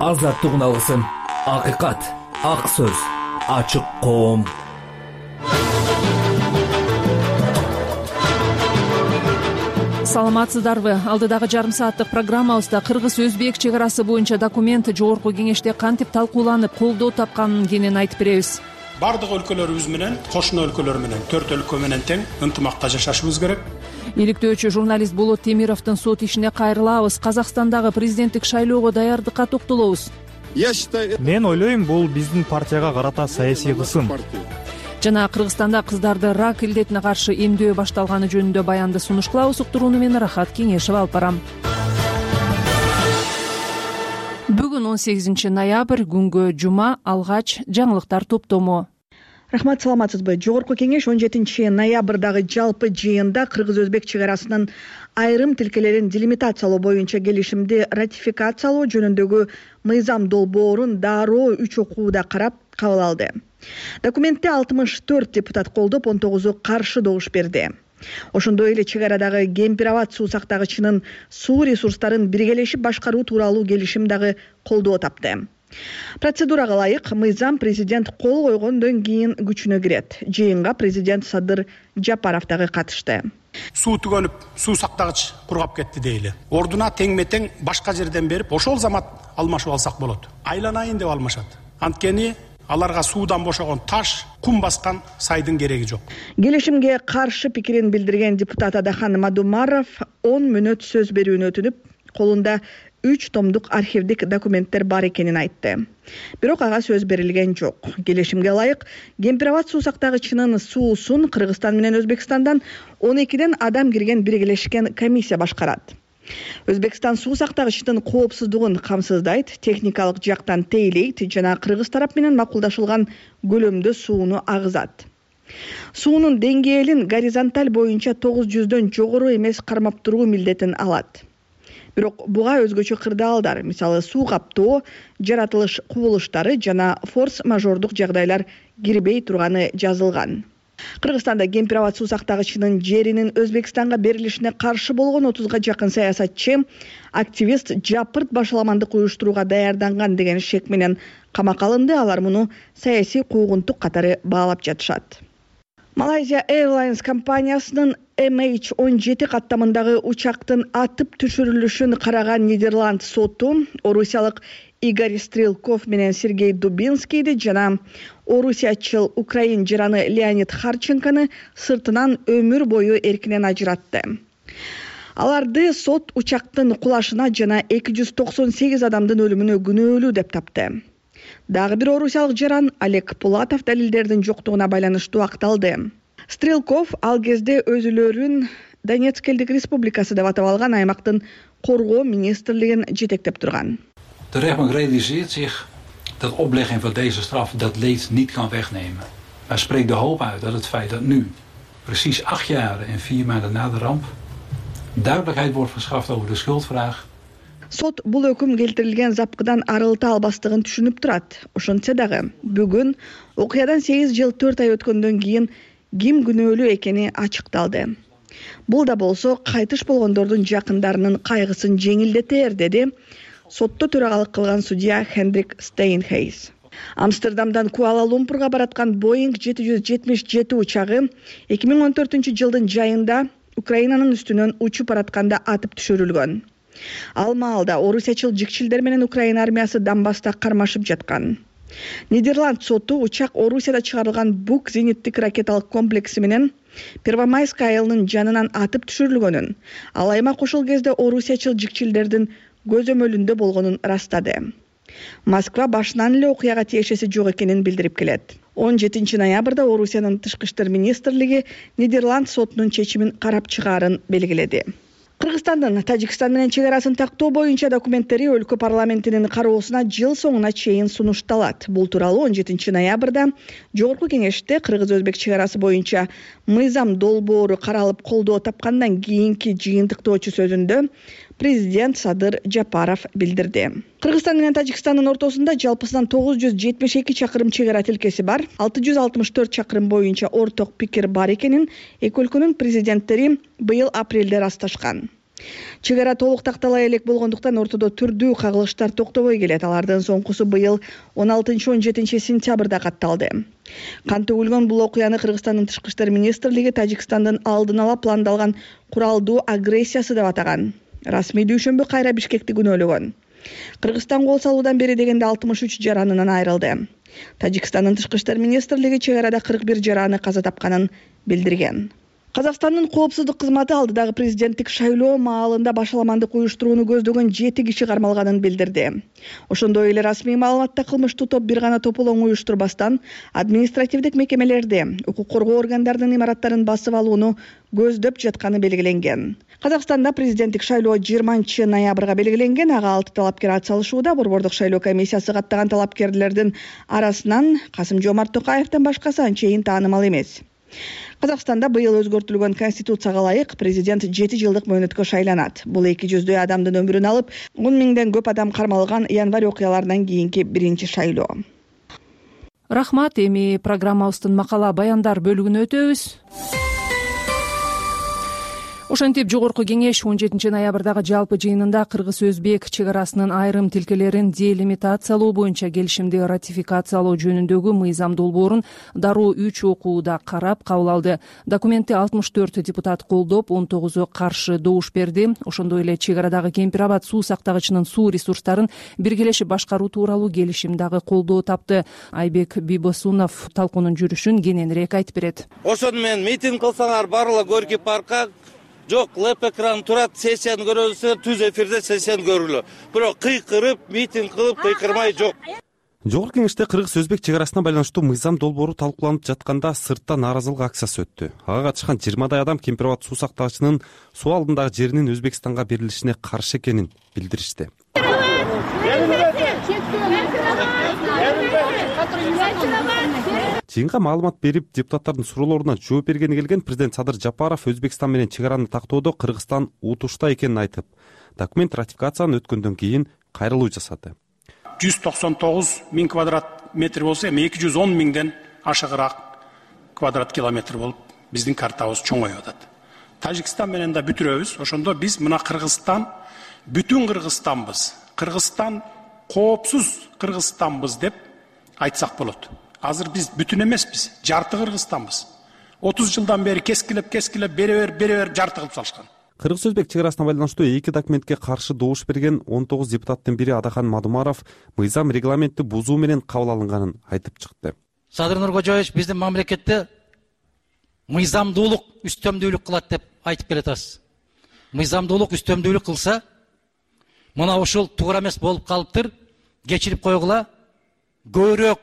азаттыгын алгысың. Акыйкат, ак сөз, ачык коом. Саламатсыздарбы? Алдыдагы жарым сааттык программабызда Кыргыз-Өзбек чек арасы боюнча документ жогорку кеңеште кантип талкууланып, колдоо тапканын кенен айтып беребиз. Бардык өлкөлөрүбүз менен, кошуна өлкөлөр менен, 4 өлкө менен тең ынтымакта жашашыбыз керек. Иликтөөчү журналист Болот Темировдун сот ишине кайрылабыз. Казакстандагы президенттик шайлоого даярдыкка токтолобуз. Мен ойлойм, бул биздин партияга карата саясий кысым. Жана Кыргызстанда кыздарды рак илдетине каршы эмдөө башталганы жөнүндө баянды сунуш кылабыз. Уктурууну мен Рахат Кеңешева алып барам. Бүгүн 18 ноябрь, күнгө жума, алгач жаңылыктар топтому. Рахмат, саламатсызбы? Жогорку кеңеш 17 ноябрдагы жалпы жыйында Кыргыз-Өзбек чек арасынын айрым тилкелерин делимитациялоо боюнча келишимди ратификациялоо жөнүндөгү мыйзам долбоорун дароо 3 окууда карап кабыл алды. Документте 64 депутат колдоп, 19 каршы добуш берди. Ошондой эле чек арадагы Кемпир-Абад суу сактагычынын суу ресурстарын биргелешип башкаруу тууралуу келишим дагы колдоо тапты. Процедурага ылайык мыйзам президент кол койгондон кийин күчүнө кирет. Жыйынга президент Садыр Жапаров дагы катышты. Суу түгөнүп, суу сактагыч кургап кетти дейли. Ордуна теңме-тең башка жерден берип, ошол замат алмашып алсак болот. Айланайын деп алмашат. Анткени аларга суудан бошогон таш, кум баскан сайдын кереги жок. Келишимге каршы пикирин билдирген депутат Адахан Мадумаров 10 мүнөт сөз берүүнү өтүнүп, колунда 3 томдук архивдик документтер бар экенин айтты. Бирок ага сөз берилген жок. Келишимге ылайык Кемпир-Абад суу сактагычынын суусун Кыргызстан менен Өзбекстандан 12 адам кирген биргелешкен комиссия башкарат. Өзбекстан суу сактагычынын коопсуздугун камсыздайт, техникалык жактан тейлейт жана Кыргыз тарап менен макулдашылган көлөмдө сууну агызат. Суунун деңгээлин горизонталь боюнча 900дөн жогору эмес кармап туруу милдетин алат. Бирок буга өзгөчө кырдаалдар, мисалы суу каптоо, жаратылыш кубулуштары жана форс-мажордук жагдайлар кирбей турганы жазылган. Кыргызстанда Кемпир-Абад суу сактагычынын жеринин Өзбекстанга берилишине каршы болгон 30га жакын саясатчы, активист жапырт башаламандык уюштурууга даярданган деген шек менен камакка алынды. Алар муну саясий куугунтук катары баалап жатышат. Malaysia Airlines компаниясынын MH17 каттамындагы учактын атып түшүрүлүшүн караган Нидерланд соту орусиялык Игорь Стрелков менен Сергей Дубинскийди жана орусиячыл украин жараны Леонид Харченконы сыртынан өмүр бою эркинен ажыратты. Аларды сот учактын кулашына жана 298 адамдын өлүмүнө күнөөлүү деп тапты. Дагы бир орусиялык жаран Олег Пулатов далилдердин жоктугуна байланыштуу акталды. Стрелков ал кезде өзүлөрүн Донецк элдик республикасы деп атап алган аймактын коргоо министрлигин жетектеп турган. De rechtbank realiseert zich dat oplegging van deze straf dat leed niet kan wegnemen. Maar spreekt de hoop uit dat het feit dat nu, precies 8 jaar en 4 maanden na de ramp, duidelijkheid wordt verschaft over de schuldvraag. Сот бул өкүм келтирилген запкыдан арылта албастыгын түшүнүп турат. Ошентсе дагы бүгүн окуядан 8 жыл 4 ай өткөндөн кийин ким күнөөлүү экени ачыкталды. Бул да болсо кайтыш болгондордун жакындарынын кайгысын жеңилдетер, деди сотто төрагалык кылган судья Хендрик Стейнхейс. Амстердамдан Куала-Лумпурга бараткан Boeing 777 учагы 2014 жылдын жайында Украинанын үстүнөн учуп баратканда атып түшүрүлгөн. Ал маалда орусиячыл жикчилдер менен Украина армиясы Донбасста кармашып жаткан. Нидерланд соту учак Орусияда чыгарылган Бук зениттик ракеталык комплекси менен Первомайск айылынын жанынан атып түшүрүлгөнүн, ал аймак ошол кезде орусиячыл жикчилдердин көзөмөлүндө болгонун растады. Москва башынан эле окуяга тиешеси жок экенин билдирип келет. 17 ноябрда Орусиянын тышкы иштер министрлиги Нидерланд сотунун чечимин карап чыгаарын белгиледи. Кыргызстандын Тажикстан менен чек арасын тактоо боюнча документтери өлкө парламентинин кароосуна жыл соңуна чейин сунушталат. Бул тууралуу 17 ноябрда Жогорку кеңеште Кыргыз-Өзбек чек арасы боюнча мыйзам долбоору каралып колдоо тапкандан кийинки жыйынтыктоочу сөзүндө президент Садыр Жапаров билдирди. Кыргызстан менен Тажикстандын ортосунда жалпысынан 972 чакырым чек ара тилкеси бар. 664 чакырым боюнча орток пикир бар экенин эки өлкөнүн президенттери быйыл апрелде ырасташкан. Чек ара толук тактала элек болгондуктан ортодо түрдүү кагылыштар токтобой келет. Алардын соңкусу быйыл 16-17 сентябрда катталды. Кан төгүлгөн бул окуяны Кыргызстандын Тышкы иштер министрлиги Тажикстандын алдын ала пландалган куралдуу агрессиясы деп атаган. Расмий дүйшөмбү кайра Бишкекти күнөөлөгөн. Кыргызстан кол салуудан бери дегенде 63 жаранынан айрылды. Тажикстандын Тышкы иштер министрлиги чек арада 41 жараны каза тапканын билдирген. Казакстандын коопсуздук кызматы алдыдагы президенттик шайлоо маалында башаламандык уюштурууну көздөгөн 7 киши кармалганын билдирди. Ошондой эле расмий маалыматта кылмыштуу топ бир гана тополоң уюштурбастан административдик мекемелерди, укук коргоо органдарынын имараттарын басып алууну көздөп жатканы белгиленген. Казакстанда президенттик шайлоо 20 ноябрга белгиленген. Ага 6 талапкер ат салышууда. Борбордук шайлоо комиссиясы каттаган талапкерлердин арасынан Касым-Жомарт Токаевден башкасы анчейин таанымал эмес. Казакстанда быйыл өзгөртүлгөн конституцияга ылайык президент 7 жылдык мөөнөткө шайланат. Бул 200 адамдын өмүрүн алып, 10 миңден көп адам кармалган январь окуяларынан кийинки биринчи шайлоо. Рахмат. Эми программабыздын макала баяндар бөлүгүнө өтөбүз. Ошентип жогорку кеңеш 17 ноябрдагы жалпы жыйынында кыргыз-өзбек чек арасынын айрым тилкелерин делимитациялоо боюнча келишимди ратификациялоо жөнүндөгү мыйзам долбоорун дароо 3 окууда карап кабыл алды. Документти 64 депутат колдоп, 19 каршы добуш берди. Ошондой эле чек арадагы Кемпир Абад суу сактагычынын суу ресурстарын биргелешип башкаруу тууралуу келишим дагы колдоо тапты. Айбек Бибосунов талкуунун жүрүшүн кененирээк айтып берет. Ошону менен митинг кылсаңар барлыгы Горький паркка, жок леп экран турат, сессияны көрөсүңөр, түз эфирде сессияны көргүлө. Бирок кыйкырып, митинг кылып кыйкырмай жок. Жогорку кеңеште кыргыз-өзбек чек арасына байланыштуу мыйзам долбоору талкууланып жатканда сыртта нааразылык акциясы өттү. Ага катышкан 20 адам Кемпир Абад суу сактагычынын суу алдындагы жеринин Өзбекстанга берилишине каршы экенин билдиришти. Жыйынга маалымат берип, депутаттардын суроолоруна жооп бергени келген президент Садыр Жапаров Өзбекстан менен чек араны тактоодо Кыргызстан утушта экенин айтып, документ ратификацияны өткөндөн кийин кайрылуу жасады. 199 миң квадрат метр болсо, эми 210 миңден ашыгыраак квадрат километр болуп, биздин картабыз чоңоюп атат. Тажикстан менен да бүтүрөбүз. Ошондо биз мына Кыргызстан бүтүн Кыргызстанбыз. Кыргызстан коопсуз Кыргызстанбыз деп айтсак болот. Азыр биз бүтүн эмеспиз, жарты Кыргызстанбыз. 30 жылдан бери кескилеп бере жарты кылып салышкан. Кыргыз-өзбек чек арасына байланыштуу 2 документке каршы добуш берген 19 депутаттын бири Адахан Мадумаров мыйзам регламентти бузуу менен кабыл алынганын айтып чыкты. Садыр Нуркожоевич биздин мамлекетте мыйзамдуулук үстөмдүүлүк кылат деп айтып келатасыз. Мыйзамдуулук үстөмдүүлүк кылса, мына ушул туура эмес болуп калыптыр, кечирип койгула, көбүрөөк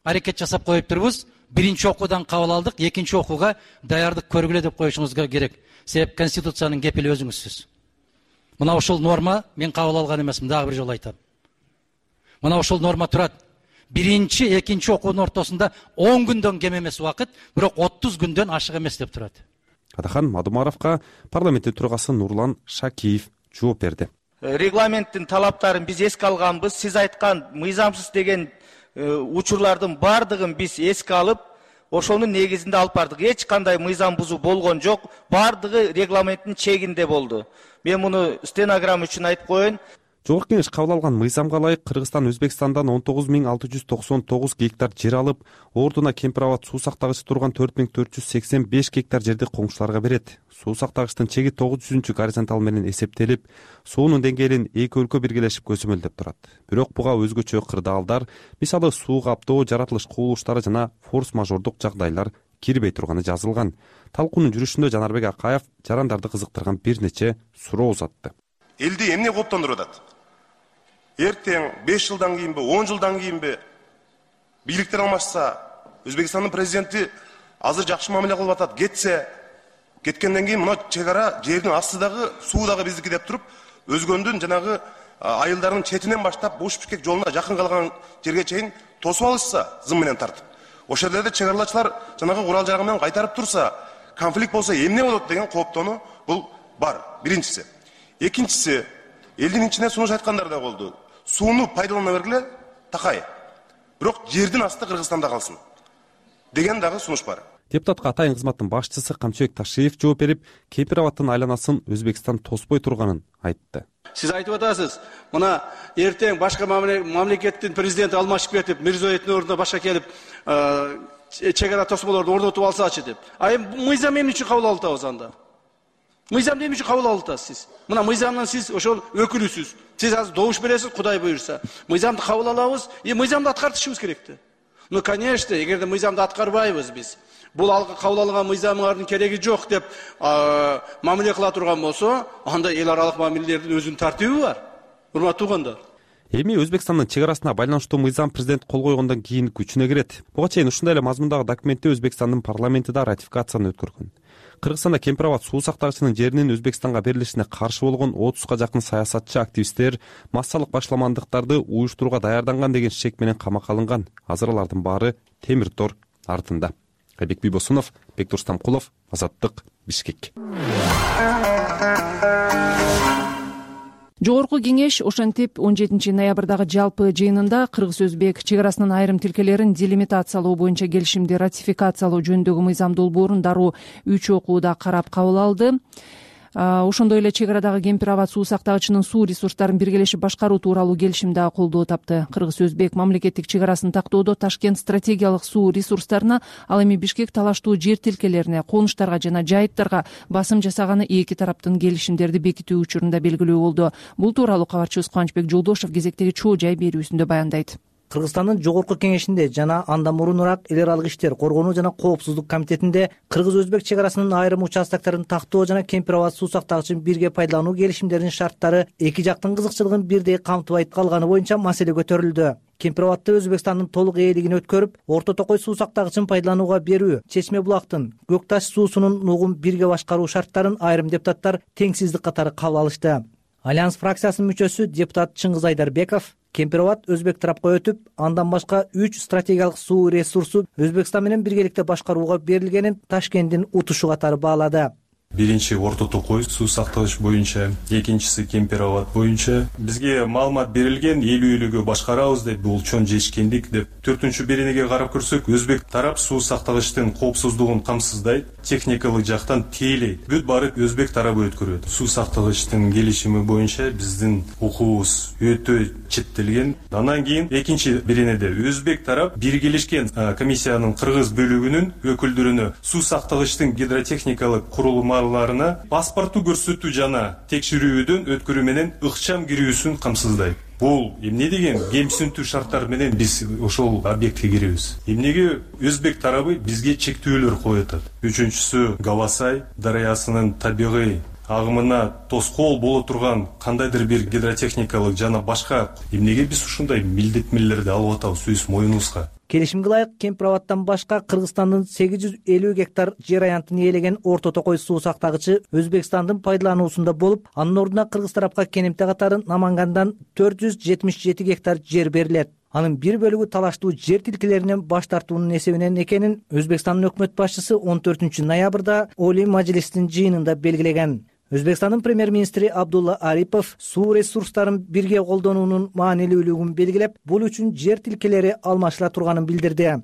аракет жасап коюп турбуз. Биринчи окуудан кабыл алдык, экинчи окууга даярдык көргүлө деп коюшуңузга керек. Себеп конституциянын кепили өзүңүзсүз. Мына ушул норма мен кабыл алган эмесмин, дагы бир жолу айтам. Мына ушул норма турат. Биринчи, экинчи окуунун ортосунда 10 күндөн кем эмес убакыт, бирок 30 күндөн ашык эмес деп турат. Адахан Мадумаровго парламенттин төрагасы Нурлан Шакиев жооп берди. Регламенттин талаптарын биз эске алганбыз. Сиз айткан мыйзамсыз деген учурлардын бардыгын биз эске алып, ошонун негизинде алып бардык. Эч кандай мыйзам бузуу болгон жок. Бардыгы регламенттин чегинде болду. Мен муну стенограмма үчүн айтып коеюн. Жогорку кеңеш кабыл алган мыйзамга ылайык Кыргызстан Өзбекстандан 19.699 гектар жер алып, ордуна Кемпир Абад суу сактагычы турган 4.485 гектар жерди коңшуларга берет. Суу сактагычтын чеги 900 горизонтал менен эсептелип, суунун деңгээлин эки өлкө биргелешип көзөмөлдөп турат. Бирок буга өзгөчө кырдаалдар, мисалы суу каптоо, жаратылыш кубулуштары жана форс-мажордук жагдайлар кирбей турганы жазылган. Талкуунун жүрүшүндө Жанарбек Акаев жарандарды кызыктырган бир нече суроо узатты. Элди эмне кооптондуруп атат? Эртең 5 жылдан кийинби, 10 жылдан кийинби бийликтер алмашса, Өзбекстандын президенти азыр жакшы мамиле кылып атат, кетсе, кеткенден кийин мына чек ара жердин астыдагы суу дагы биздики деп туруп, өзгөндүн жанагы айылдарынын четинен баштап Буш-Бишкек жолуна жакын калган жерге чейин тосуп алышса, зым менен тартып. Ошол жерде чек аралачылар жанагы курал жарак менен кайтарып турса, конфликт болсо эмне болот деген кооптонуу бул бар. Биринчиси. Экинчиси, элдин ичине сунуш айткандар да болду. Сууну пайдалана бергиле, такай. Бирок жердин асты Кыргызстанда калсын деген дагы сунуш бар. депутатка атайын кызматтын башчысы Камчыбек Ташиев жооп берип, Кемпир абадтын айланасын Өзбекстан тоспой турганын айтты. Siz айтып атасыз, мына эртең башка мамлекеттин президенти алмашып кетип, Мирзоевдин ордуна башка келип, чек ара тосмолорду орнотуп алсачы деп. Мыйзам эмне үчүн кабыл алып атабыз анда? Мыйзамды эмне үчүн кабыл алып атасыз сиз? Мына мыйзамдан сиз ошол өкүлүсүз. Сиз азыр добуш бересиз, Кудай буйрса. Мыйзамды кабыл алабыз, мыйзамды аткартышыбыз керекти. Конечно, эгерде мыйзамды аткарбайбыз биз, бул кабыл алынган мыйзамдардын кереги жок деп мамиле кыла турган болсо, анда эл аралык мамилелердин өзүнүн тартиби бар. Урматтуу туугандар. Эми Өзбекстандын чек арасына байланыштуу мыйзам президент кол койгондон кийин күчүнө кирет. Буга чейин ушундай эле мазмундагы документти Өзбекстандын парламенти да ратификацияны өткөргөн. Кыргызстанда Кемпир абад суу сактагычынын жеринин Өзбекстанга берилишине каршы болгон 30га жакын саясатчы, активисттер массалык башламандыктарды уюштурууга даярданган деген шек менен камакка алынган. Азыр алардын баары темир тор артында. Айбек Бийбосунов, Бектур Стамкулов, Азаттык, Бишкек. Жогорку кеңеш ошентип 17 ноябрдагы жалпы жыйынында кыргыз-өзбек чек арасынын айрым тилкелерин делимитациялоо боюнча келишимди ратификациялоо жөнүндөгү мыйзам долбоорун дароо 3 окууда карап кабыл алды. Ошондой эле чек арадагы Кемпир абад суу сактагычынын суу ресурстарын биргелешип башкаруу тууралуу келишим да колдоо тапты. Кыргыз-өзбек мамлекеттик чек арасын тактоодо Ташкент стратегиялык суу ресурстарына, ал эми Бишкек талаштуу жер тилкелерине, конуштарга жана жайыттарга басым жасаганы эки тараптын келишимдерди бекитүү учурунда белгилүү болду. Бул тууралуу кабарчыбыз Кубанычбек Жолдошов кезектеги чоо жай берүүсүндө баяндайт. Кыргызстандын жогорку кеңешинде жана андан мурунураак эл аралык иштер, коргонуу жана коопсуздук комитетинде кыргыз-өзбек чек арасынын айрым участокторун тактоо жана Кемпир абад суу сактагычын бирге пайдалануу келишимдеринин шарттары эки жактын кызыкчылыгын бирдей камтыбай калганы боюнча маселе көтөрүлдү. Кемпир абадты Өзбекстандын толук ээлигин өткөрүп, Орто Токой суу сактагычын пайдаланууга берүү, Чечме булактын Көк Таш суусунун нугун бирге башкаруу шарттарын айрым депутаттар теңсиздик катары кабыл алышты. Альянс фракциясынын мүчөсү депутат Чыңгыз Айдарбеков Кемпир абад өзбек тарапка өтүп, андан башка 3 стратегиялык суу ресурсу Өзбекстан менен биргеликте башкарууга берилгенин Ташкенттин утушу катары баалады. Биринчи Орто Токой суу сактагыч боюнча, экинчиси Кемпир абад боюнча бизге маалымат берилген, ээлүүлүгү башкарабыз деп, бул чоң жетишкендик деп. 4-беренеге карап көрсөк, өзбек тарап суу сактагычтын коопсуздугун камсыздайт, техникалык жактан тейлейт. Бүт баары өзбек тарабы өткөрөт. Суу сактагычтын келишими боюнча биздин укуубуз өтө четтелген. Андан кийин экинчи беренеде өзбек тарап биргелешкен комиссиянын кыргыз бөлүгүнүн өкүлдөрүнө суу сактагычтын гидротехникалык курулмаларына паспорту көрсөтүү жана текшерүүдөн өткөрүү менен ыкчам кирүүсүн камсыздайт. Бул эмне деген кемсинтүү шарттар менен биз ошол объектке киребиз. Эмнеге өзбек тарабы бизге чектөөлөр коюп атат. Үчүнчүсү Гавасай дарыясынын табигый агымына тоскоол боло турган кандайдыр бир гидротехникалык жана башка эмнеге биз ушундай милдеттмелерди алып атабыз өз моюнубузга. Келишимге ылайык Кемпир абадтан башка Кыргызстандын 850 гектар жер аянтын ээлеген Орто Токой суу сактагычы Өзбекстандын пайдалануусунда болуп, анын ордуна кыргыз тарапка кенемте катары Намангандан 477 гектар жер берилет. Анын бир бөлүгү талаштуу жер тилкелеринен баш тартуунун эсебинен экенин Өзбекстандын өкмөт башчысы 14 ноябрда Олий Мажлистин жыйынында белгилеген. Өзбекстандын премьер-министри Абдулла Арипов суу ресурстарын бирге колдонуунун маанилүүлүгүн белгилеп, бул үчүн жер тилкелери алмашыла турганын билдирди.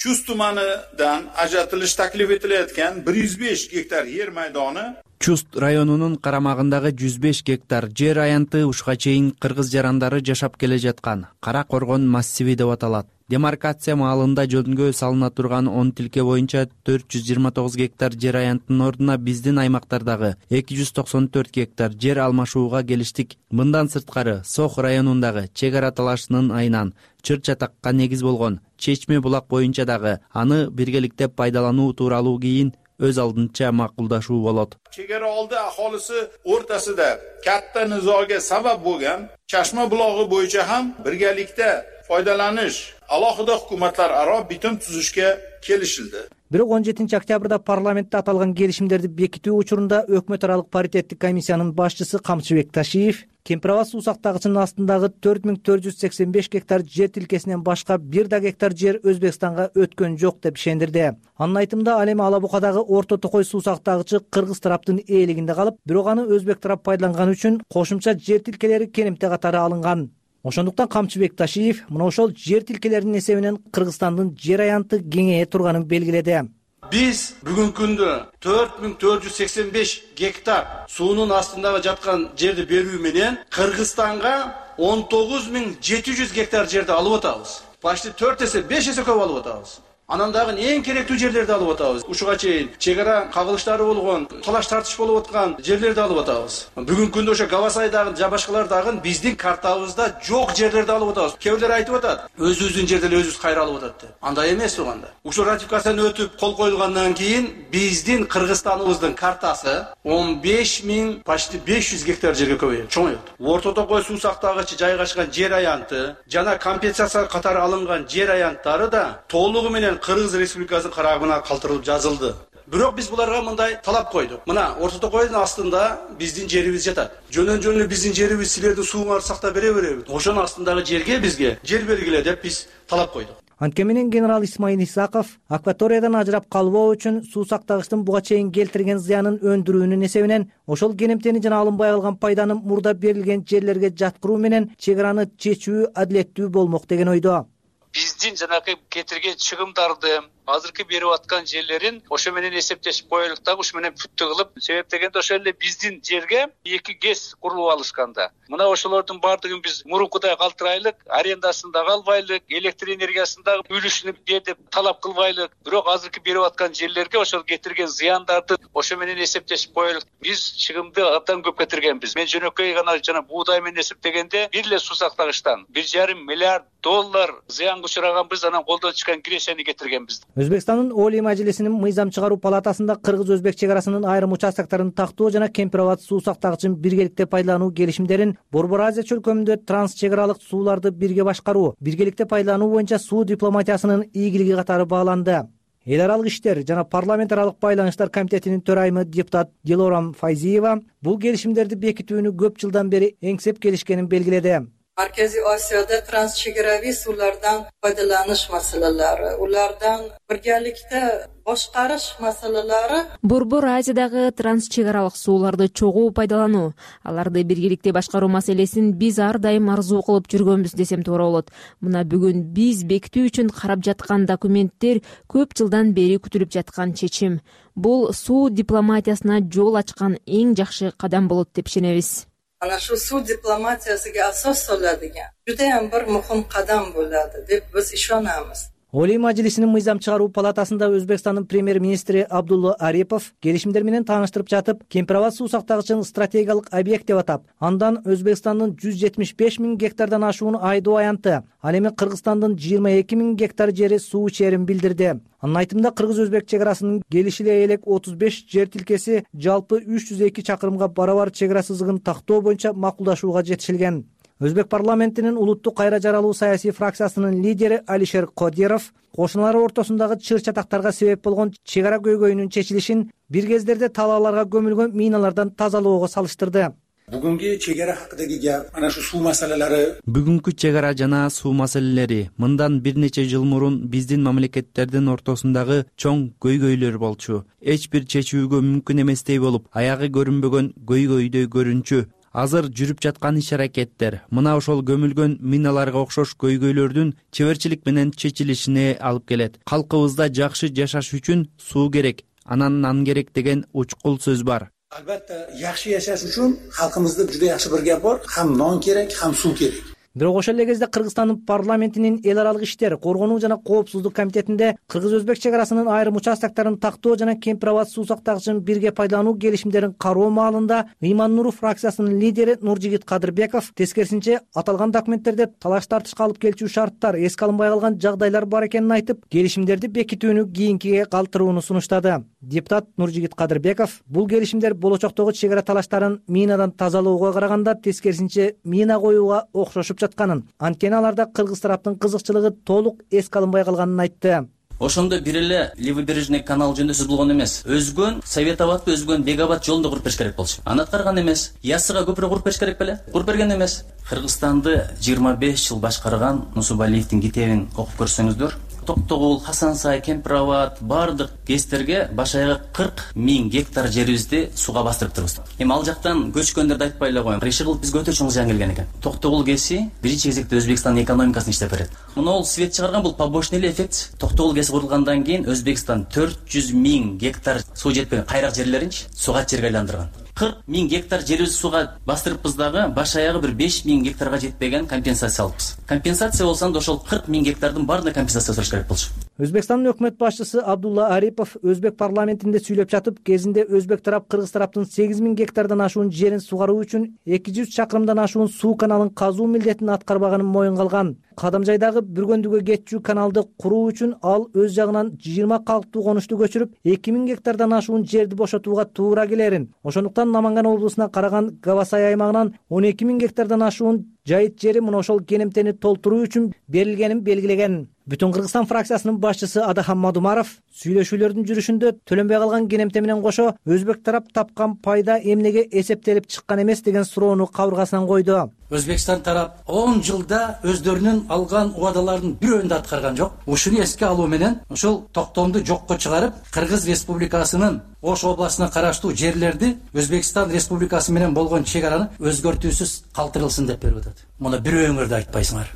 Chust tumanidan ajratilish taklif etilayotgan 105 gektar yer maydoni Чуст районунун карамагындагы 105 гектар жер аянты ушка чейин кыргыз жарандары жашап келе жаткан Кара Коргон массиви деп аталат. Демаркация маалында жөнгө салына турган 10 тилке боюнча 429 гектар жер аянтынын ордуна биздин аймактардагы 294 гектар жер алмашууга келиштик. Мындан сырткары Сох районундагы чек ара талашынын айынан чыр-чатакка негиз болгон Чечме булак боюнча дагы аны биргеликте пайдалануу тууралуу кийин өз алдынча макулдашуу болот. Chegara oldi aholisi o'rtasida katta nizoga sabab bo'lgan Chashma bulog'i bo'yicha ham birgalikda foydalanish alohida hukumatlar aro bitim tuzishga kelishildi. Бирок 17 октябрда парламентте аталган келишимдерди бекитүү учурунда өкмөт аралык паритеттик комиссиянын башчысы Камчыбек Ташиев Кемпир абад суу сактагычынын астындагы 4485 гектар жер тилкесинен башка бир да гектар жер Өзбекстанга өткөн жок деп ишендирди. Анын айтымында ал эми Ала Букадагы Орто Токой суу сактагычы кыргыз тараптын ээлигинде калып, бирок аны өзбек тарап пайдаланган үчүн кошумча жер тилкелери кенемте катары алынган. Ошондуктан Камчыбек Ташиев мына ошол жер тилкелеринин эсебинен Кыргызстандын жер аянты кеңейе турганын белгиледи. Биз бүгүнкү күндө 4485 гектар суунун астындагы жаткан жерди берүү менен Кыргызстанга 19700 гектар жерди алып атабыз. Почти 4 эсе, 5 эсе көп алып атабыз. Анан дагы эң керектүү жерлерди алып атабыз. Ушуга чейин чек ара кагылыштары болгон, талаш тартыш болуп аткан жерлерди алып атабыз. Бүгүнкү күндө ошо Габасайдагы жана башкалар дагы биздин картабызда жок жерлерди алып атабыз. Кээ бирлер айтып атат, өзүбүздүн жерди эле өзүбүз кайра алып атат деп. Андай эмес туганда. Ушул ратификацияны өтүп кол коюлгандан кийин биздин Кыргызстаныбыздын картасы 15000 почти 500 гектар жерге көбөйөт, чоңойот. Орто Токой суу сактагычы жайгашкан жер аянты жана компенсация катары алынган жер аянттары да толугу менен Кыргыз Республикасынын карабына калтырылып жазылды. Бирок биз буларга мындай талап койдук. Мына Орто Токойдун астында биздин жерибиз жатат. Жөнөн биздин жерибиз силердин сууңарды сактап бере береби? Ошонун астындагы жерге бизге жер бергиле деп биз талап койдук. Антке менен генерал Исмаил Исаков акваториядан ажырап калбоо үчүн суу сактагычтын буга чейин келтирген зыянын өндүрүүнүн эсебинен ошол керемтени жана алынбай калган пайданы мурда берилген жерлерге жаткыруу менен чек араны чечүү адилеттүү болмок деген ойдо. Биздин жанагы кетирген чыгымдарды азыркы берип аткан жерлерин ошо менен эсептешип коелук дагы ошо менен бүттү кылып, себеп дегенде ошол эле биздин жерге 2 ГЭС курулуп алышканда. Мына ошолордун бардыгын биз мурункудай калтырайлык, арендасын дагы албайлык, электр энергиясын дагы үлүшүн бер деп талап кылбайлык. Бирок азыркы берип аткан жерлерге ошол кетирген зыяндарды ошо менен эсептешип коелук. Биз чыгымды абдан көп кетиргенбиз. Мен жөнөкөй гана жана буудай менен эсептегенде бир эле суу сактагычтан 1,5 миллиард доллар зыянга учураганбыз, анан колдон чыккан киресени кетиргенбиз. Өзбекстандын Олий Мажлисинин мыйзам чыгаруу палатасында кыргыз-өзбек чек арасынын айрым участокторун тактоо жана Кемпир-Абад суу сактагычын биргеликте пайдалануу келишимдерин Борбор Азия чөлкөмүндө транс чек аралык сууларды бирге башкаруу, биргеликте пайдалануу боюнча суу дипломатиясынын ийгилиги катары бааланды. Эл аралык иштер жана парламент аралык байланыштар комитетинин төрайымы депутат Дилорам Файзиева бул келишимдерди бекитүүнү көп жылдан бери эңсеп келишкенин белгиледи. Markaziy Osiyoda transchegaraviy suvlardan foydalanish masalalari, ulardan birgalikda boshqarish masalalari. Борбор Азиядагы трансчегаралык сууларды чогуу пайдалануу, аларды биргеликте башкаруу маселесин биз ар дайым арзуу кылып жүргөнбүз десем туура болот. Мына бүгүн биз бекитүү үчүн карап жаткан документтер көп жылдан бери күтүлүп жаткан чечим. Бул суу дипломатиясына жол ачкан эң жакшы кадам болот деп ишенебиз. Ana shu suv diplomatiyasiga asos soladigan judayam bir muhim qadam bo'ladi deb biz ishonamiz. Олий Мажлисинин мыйзам чыгаруу палатасында Өзбекстандын премьер-министри Абдулла Арипов келишимдер менен тааныштырып жатып, Кемпир-Абад суу сактагычын стратегиялык объект деп атап, андан Өзбекстандын 175 000 гектардан ашуун айдоо аянты, ал эми Кыргызстандын 22 000 гектар жери суу ичерин билдирди. Анын айтымында кыргыз-өзбек чек арасынын келишиле элек 35 жер тилкеси жалпы 302 чакырымга барабар чек ара сызыгын тактоо боюнча макулдашууга жетишилген. Өзбек парламентинин улуттук кайра жаралуу саясий фракциясынын лидери Алишер Кодиров кошуналары ортосундагы чыр чатактарга себеп болгон чек ара көйгөйүнүн чечилишин бир кездерде талааларга көмүлгөн миналардан тазалоого салыштырды. Бүгүнкү чек ара хакындагы гап ana shu suv маселелери. Бүгүнкү чек ара жана суу маселелери мындан бир нече жыл мурун биздин мамлекеттердин ортосундагы чоң көйгөйлөр болчу. Эч бир чечүүгө мүмкүн эместей болуп, аягы көрүнбөгөн көйгөйдөй көрүнчү. Азыр жүрүп жаткан иш-аракеттер мына ошол көмүлгөн миналарга окшош көйгөйлөрдүн чеберчилик менен чечилишине алып келет. Калкыбызда жакшы жашаш үчүн суу керек, анан нан керек деген учкул сөз бар. Albatta, yaxshi yashash uchun xalqimizda juda yaxshi bir gap bor, ham non kerak, ham suv kerak. Бирок ошол эле кезде Кыргызстандын парламентинин эл аралык иштер, коргонуу жана коопсуздук комитетинде кыргыз-өзбек чек арасынын айрым участокторун тактоо жана Кемпир-Абад суу сактагычын бирге пайдалануу келишимдерин кароо маалында Ыйман Нуров фракциясынын лидери Нуржигит Кадырбеков тескерисинче аталган документтерде талаш тартышка алып келчү шарттар эске алынбай калган жагдайлар бар экенин айтып, келишимдерди бекитүүнү кийинкиге калтырууну сунуштады. Депутат Нуржигит Кадырбеков бул келишимдер болочоктогу чек ара талаштарын минадан тазалоого караганда тескерисинче мина коюуга окшошуп жатканын, анткени аларда кыргыз тараптын кызыкчылыгы толук эске алынбай калганын айтты. Ошондо бир эле левобережный канал жөндөсүз болгон эмес. Өзгөн Совет Абадты, өзгөн Бегабад жолунда куруп бериш керек болчу. Аны аткарган эмес. Яссыга көпүрө куруп бериш керек беле? Куруп берген эмес. Кыргызстанды 25 жыл башкарган Нусубалиевдин китебин окуп көрсөңүздөр, Токтогул, Хасан Сай, Кемпир Абад баардык ГЭСтерге баш аягы 40 000 гектар жерибизди сууга бастырып турбуз. Эми ал жактан көчкөндөрдү айтпай эле коеюн. Иши кылып бизге өтө чоң зыян келген экен. Токтогул ГЭСи биринчи кезекте Өзбекстандын экономикасын иштеп берет. Мына свет чыгарган бул побочный эффект. Токтогул ГЭСи курулгандан кийин Өзбекстан 400 000 гектар суу жетпеген кайрак жерлеринчи суугат жерге айландырган. 40 000 гектар жерибизди сууга бастырыппыз дагы баш аягы бир 5 000 гектарга жетпеген компенсация алыппыз. Компенсация болсо анда ошол 40 000 гектардын баарына компенсация сураш керек болчу. Өзбекстандын өкмөт башчысы Абдулла Арипов өзбек парламентинде сүйлөп жатып, кезинде өзбек тарап кыргыз тараптын 8 000 гектардан ашуун жерин сугаруу үчүн 200 чакырымдан ашуун суу каналын казуу милдетин аткарбаганын моюнга алган. Кадамжайдагы Бүргөндүгө кетчү каналды куруу үчүн ал өз жагынан 20 калктуу конушту көчүрүп 2000 гектардан ашуун жерди бошотууга туура келерин. Ошондуктан Наманган облусуна караган Гавасай аймагынан 12 000 гектардан ашуун жайыт жери мына ошол кенемтени толтуруу үчүн берилгенин белгилеген. Бүтүн Кыргызстан фракциясынын башчысы Адахан Мадумаров сүйлөшүүлөрдүн жүрүшүндө төлөнбөй калган кенемте менен кошо өзбек тарап тапкан пайда эмнеге эсептелип чыккан эмес деген суроону кабыргасынан койду. Өзбекстан тарап 10 жылда өздөрүнүн алган убадаларынын бирөөнү да аткарган жок. Ушуну эске алуу менен ушул токтомду жокко чыгарып, Кыргыз Республикасынын Ош областына караштуу жерлерди Өзбекстан Республикасы менен болгон чек араны өзгөртүүсүз калтырылсын деп берип атат. Муну бирөөңөр да айтпайсыңар.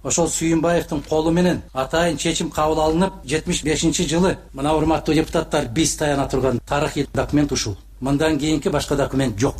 Ошол Сүйүнбаевдин колу менен атайын чечим кабыл алынып, 75-жылы мына урматтуу депутаттар биз таяна турган тарыхый документ ушул. Мындан кийинки башка документ жок.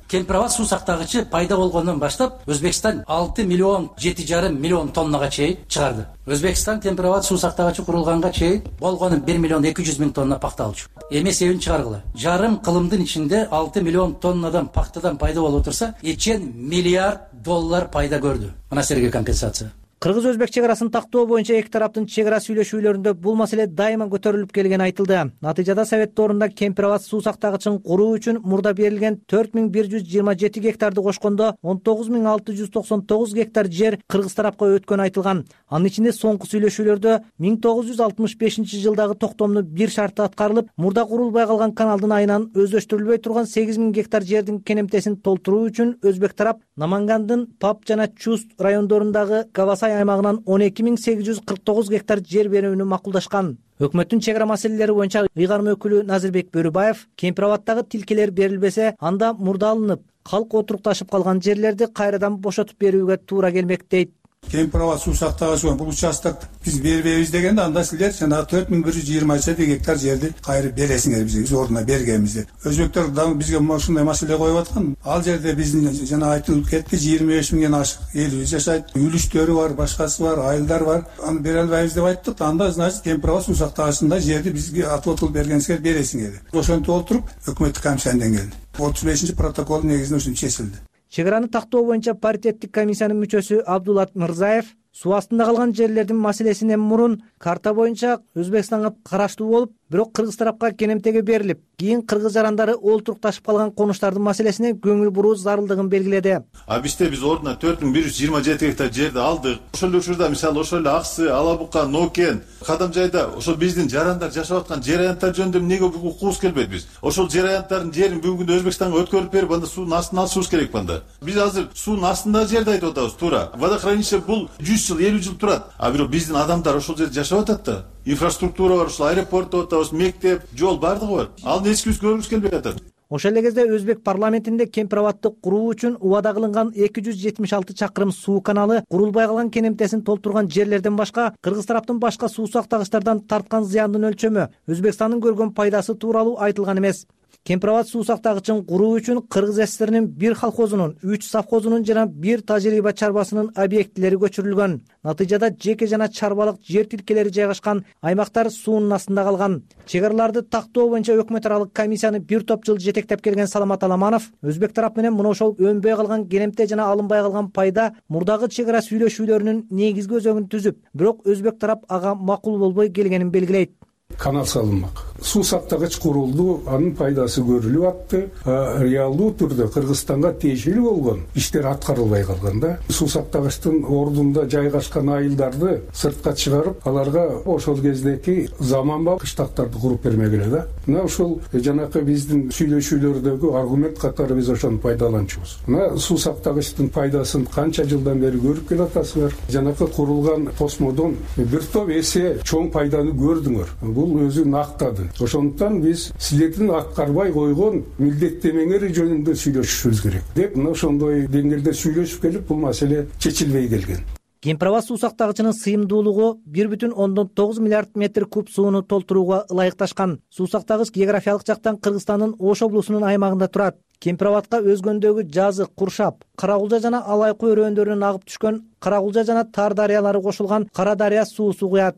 Кемпир Абад суу сактагычы пайда болгондон баштап Өзбекстан 6 миллион 7,5 миллион тоннага чейин чыгарды. Өзбекстан Кемпир Абад суу сактагычы курулганга чейин болгону 1 миллион 200 миң тонна пакта алчу. Эми себебин чыгаргыла. Жарым кылымдын ичинде 6 миллион тоннадан пактадан пайда болуп турса, 2 миллиард доллар пайда көрдү. Мына силерге компенсация. Кыргыз-өзбек чек арасын тактоо боюнча эки тараптын чек ара сүйлөшүүлөрүндө бул маселе дайыма көтөрүлүп келгени айтылды. Натыйжада Совет доорунда Кемпир Абад суу сактагычын куруу үчүн мурда берилген 4127 гектарды кошкондо 19699 гектар жер кыргыз тарапка өткөнү айтылган. Анын ичинде соңку сүйлөшүүлөрдө 1965-жылдагы токтомдун бир шарты аткарылып, мурда курулбай калган каналдын айынан өздөштүрүлбөй турган 8000 гектар жердин кенемтесин толтуруу үчүн өзбек тарап Намангандын Пап жана Чуст райондорундагы Гавасай аймагынан 12849 гектар жер берүүнү макулдашкан. Өкмөттүн чек ара маселелери боюнча ыйгарым өкүлү Назирбек Бөрүбаев Кемпир Абадтагы тилкелер берилбесе, анда мурда алынып, калк отурукташып калган жерлерди кайрадан бошотуп берүүгө туура келмек дейт. Кемпир Абад суу сактагычы бул участок биз бербейбиз дегенде анда силер жана 4127 гектар жерди кайрып бересиңер бизге, биз ордуна бергенбиз деп. Өзбектер дагы бизге ушундай маселе коюп аткан. Ал жерде биздин жана айтылып кетти 25 миңден ашык эл жашайт, үлүштөрү бар, башкасы бар, айылдар бар. Аны бере албайбыз деп айттык. Анда значит Кемпир Абад суу сактагычында жерди бизге отвод бергенсиңер бересиңер деп. Ошентип олтуруп өкмөттүк комиссиядан келди. 35 протоколдун негизинде ушинтип чечилди. Чек араны тактоо боюнча паритеттик комиссиянын мүчөсү Абдулат Мырзаев суу астында калган жерлердин маселесинен мурун карта боюнча Өзбекстанга караштуу болуп, бирок кыргыз тарапка кенемтеге берилип, кийин кыргыз жарандары олтурукташып калган конуштардын маселесине көңүл буруу зарылдыгын белгиледи. Биз ордуна 4127 гектар жерди алдык. Ошол учурда мисалы ошол эле Аксы, Алабука, Нокен, Кадамжайда ошол биздин жарандар жашап аткан жер аянттар жөнүндө эмнеге укугубуз келбейт биз? Ошол жер аянттардын жерин бүгүнкү күндө Өзбекстанга өткөрүп берип, анда суунун астына алышыбыз керек банда. Биз азыр суунун астындагы жерди айтып атабыз, туура. Водохранилище бул 100 жыл, 50 жыл турат. А бирок биздин адамдар ошол жерде жашап атат да. Инфраструктура бар, ушул аэропорт деп атабыз, мектеп, жол бардыгы бар. Ал эскибиз көргүбүз келбей атат. Ошол эле кезде Өзбек парламентинде Кемпир Абадты куруу үчүн убада кылынган 276 чакырым суу каналы курулбай калган кенемтесин толтурган жерлерден башка кыргыз тараптын башка суу сактагычтардан тарткан зыяндын өлчөмү, Өзбекстандын көргөн пайдасы тууралуу айтылган эмес. Кемпир Абад суу сактагычын куруу үчүн Кыргыз СССРнин 1 колхозунун, 3 совхозунун жана 1 тажрыйба чарбасынын объектилери көчүрүлгөн. Натыйжада жеке жана чарбалык жер тилкелери жайгашкан аймактар суунун астында калган. Чек араларды тактоо боюнча өкмөт аралык комиссияны бир топ жыл жетектеп келген Саламат Аламанов өзбек тарап менен мына ошол өнбөй калган кенемте жана алынбай калган пайда мурдагы чек ара сүйлөшүүлөрүнүн негизги өзөгүн түзүп, бирок өзбек тарап ага макул болбой келгенин белгилейт. канал салынмак. Суу сактагыч курулду, анын пайдасы көрүлүп атты. Реалдуу түрдө Кыргызстанга тиешелүү болгон иштер аткарылбай калган да. Суу сактагычтын ордунда жайгашкан айылдарды сыртка чыгарып, аларга ошол кездеки заманбап кыштактарды куруп бермегиле да. Мына ушул жанакы биздин сүйлөшүүлөрдөгү аргумент катары биз ошону пайдаланчубуз. Мына суу сактагычтын пайдасын канча жылдан бери көрүп келатасыздар. Жанакы курулган тосмодон бир топ эсе чоң пайданы көрдүңөр. Бул өзүн актады. Ошондуктан биз силердин аткарбай койгон милдеттемеңер жөнүндө сүйлөшүшүбүз керек деп мына ошондой деңгээлде сүйлөшүп келип бул маселе чечилбей келген. Кемпир-Аба суу сактагычынын сыйымдуулугу 1,9 миллиард метр куб сууну толтурууга ылайыкташкан. Суу сактагыч географиялык жактан Кыргызстандын Ош облусунун аймагында турат. Кемпир-Абадка өзгөндөгү Жазык, Куршап, Карагулжа жана Алайкы өрөөндарынан агып түшкөн Карагулжа жана Тар дарыялары кошулган Кара дарыя суусу куят.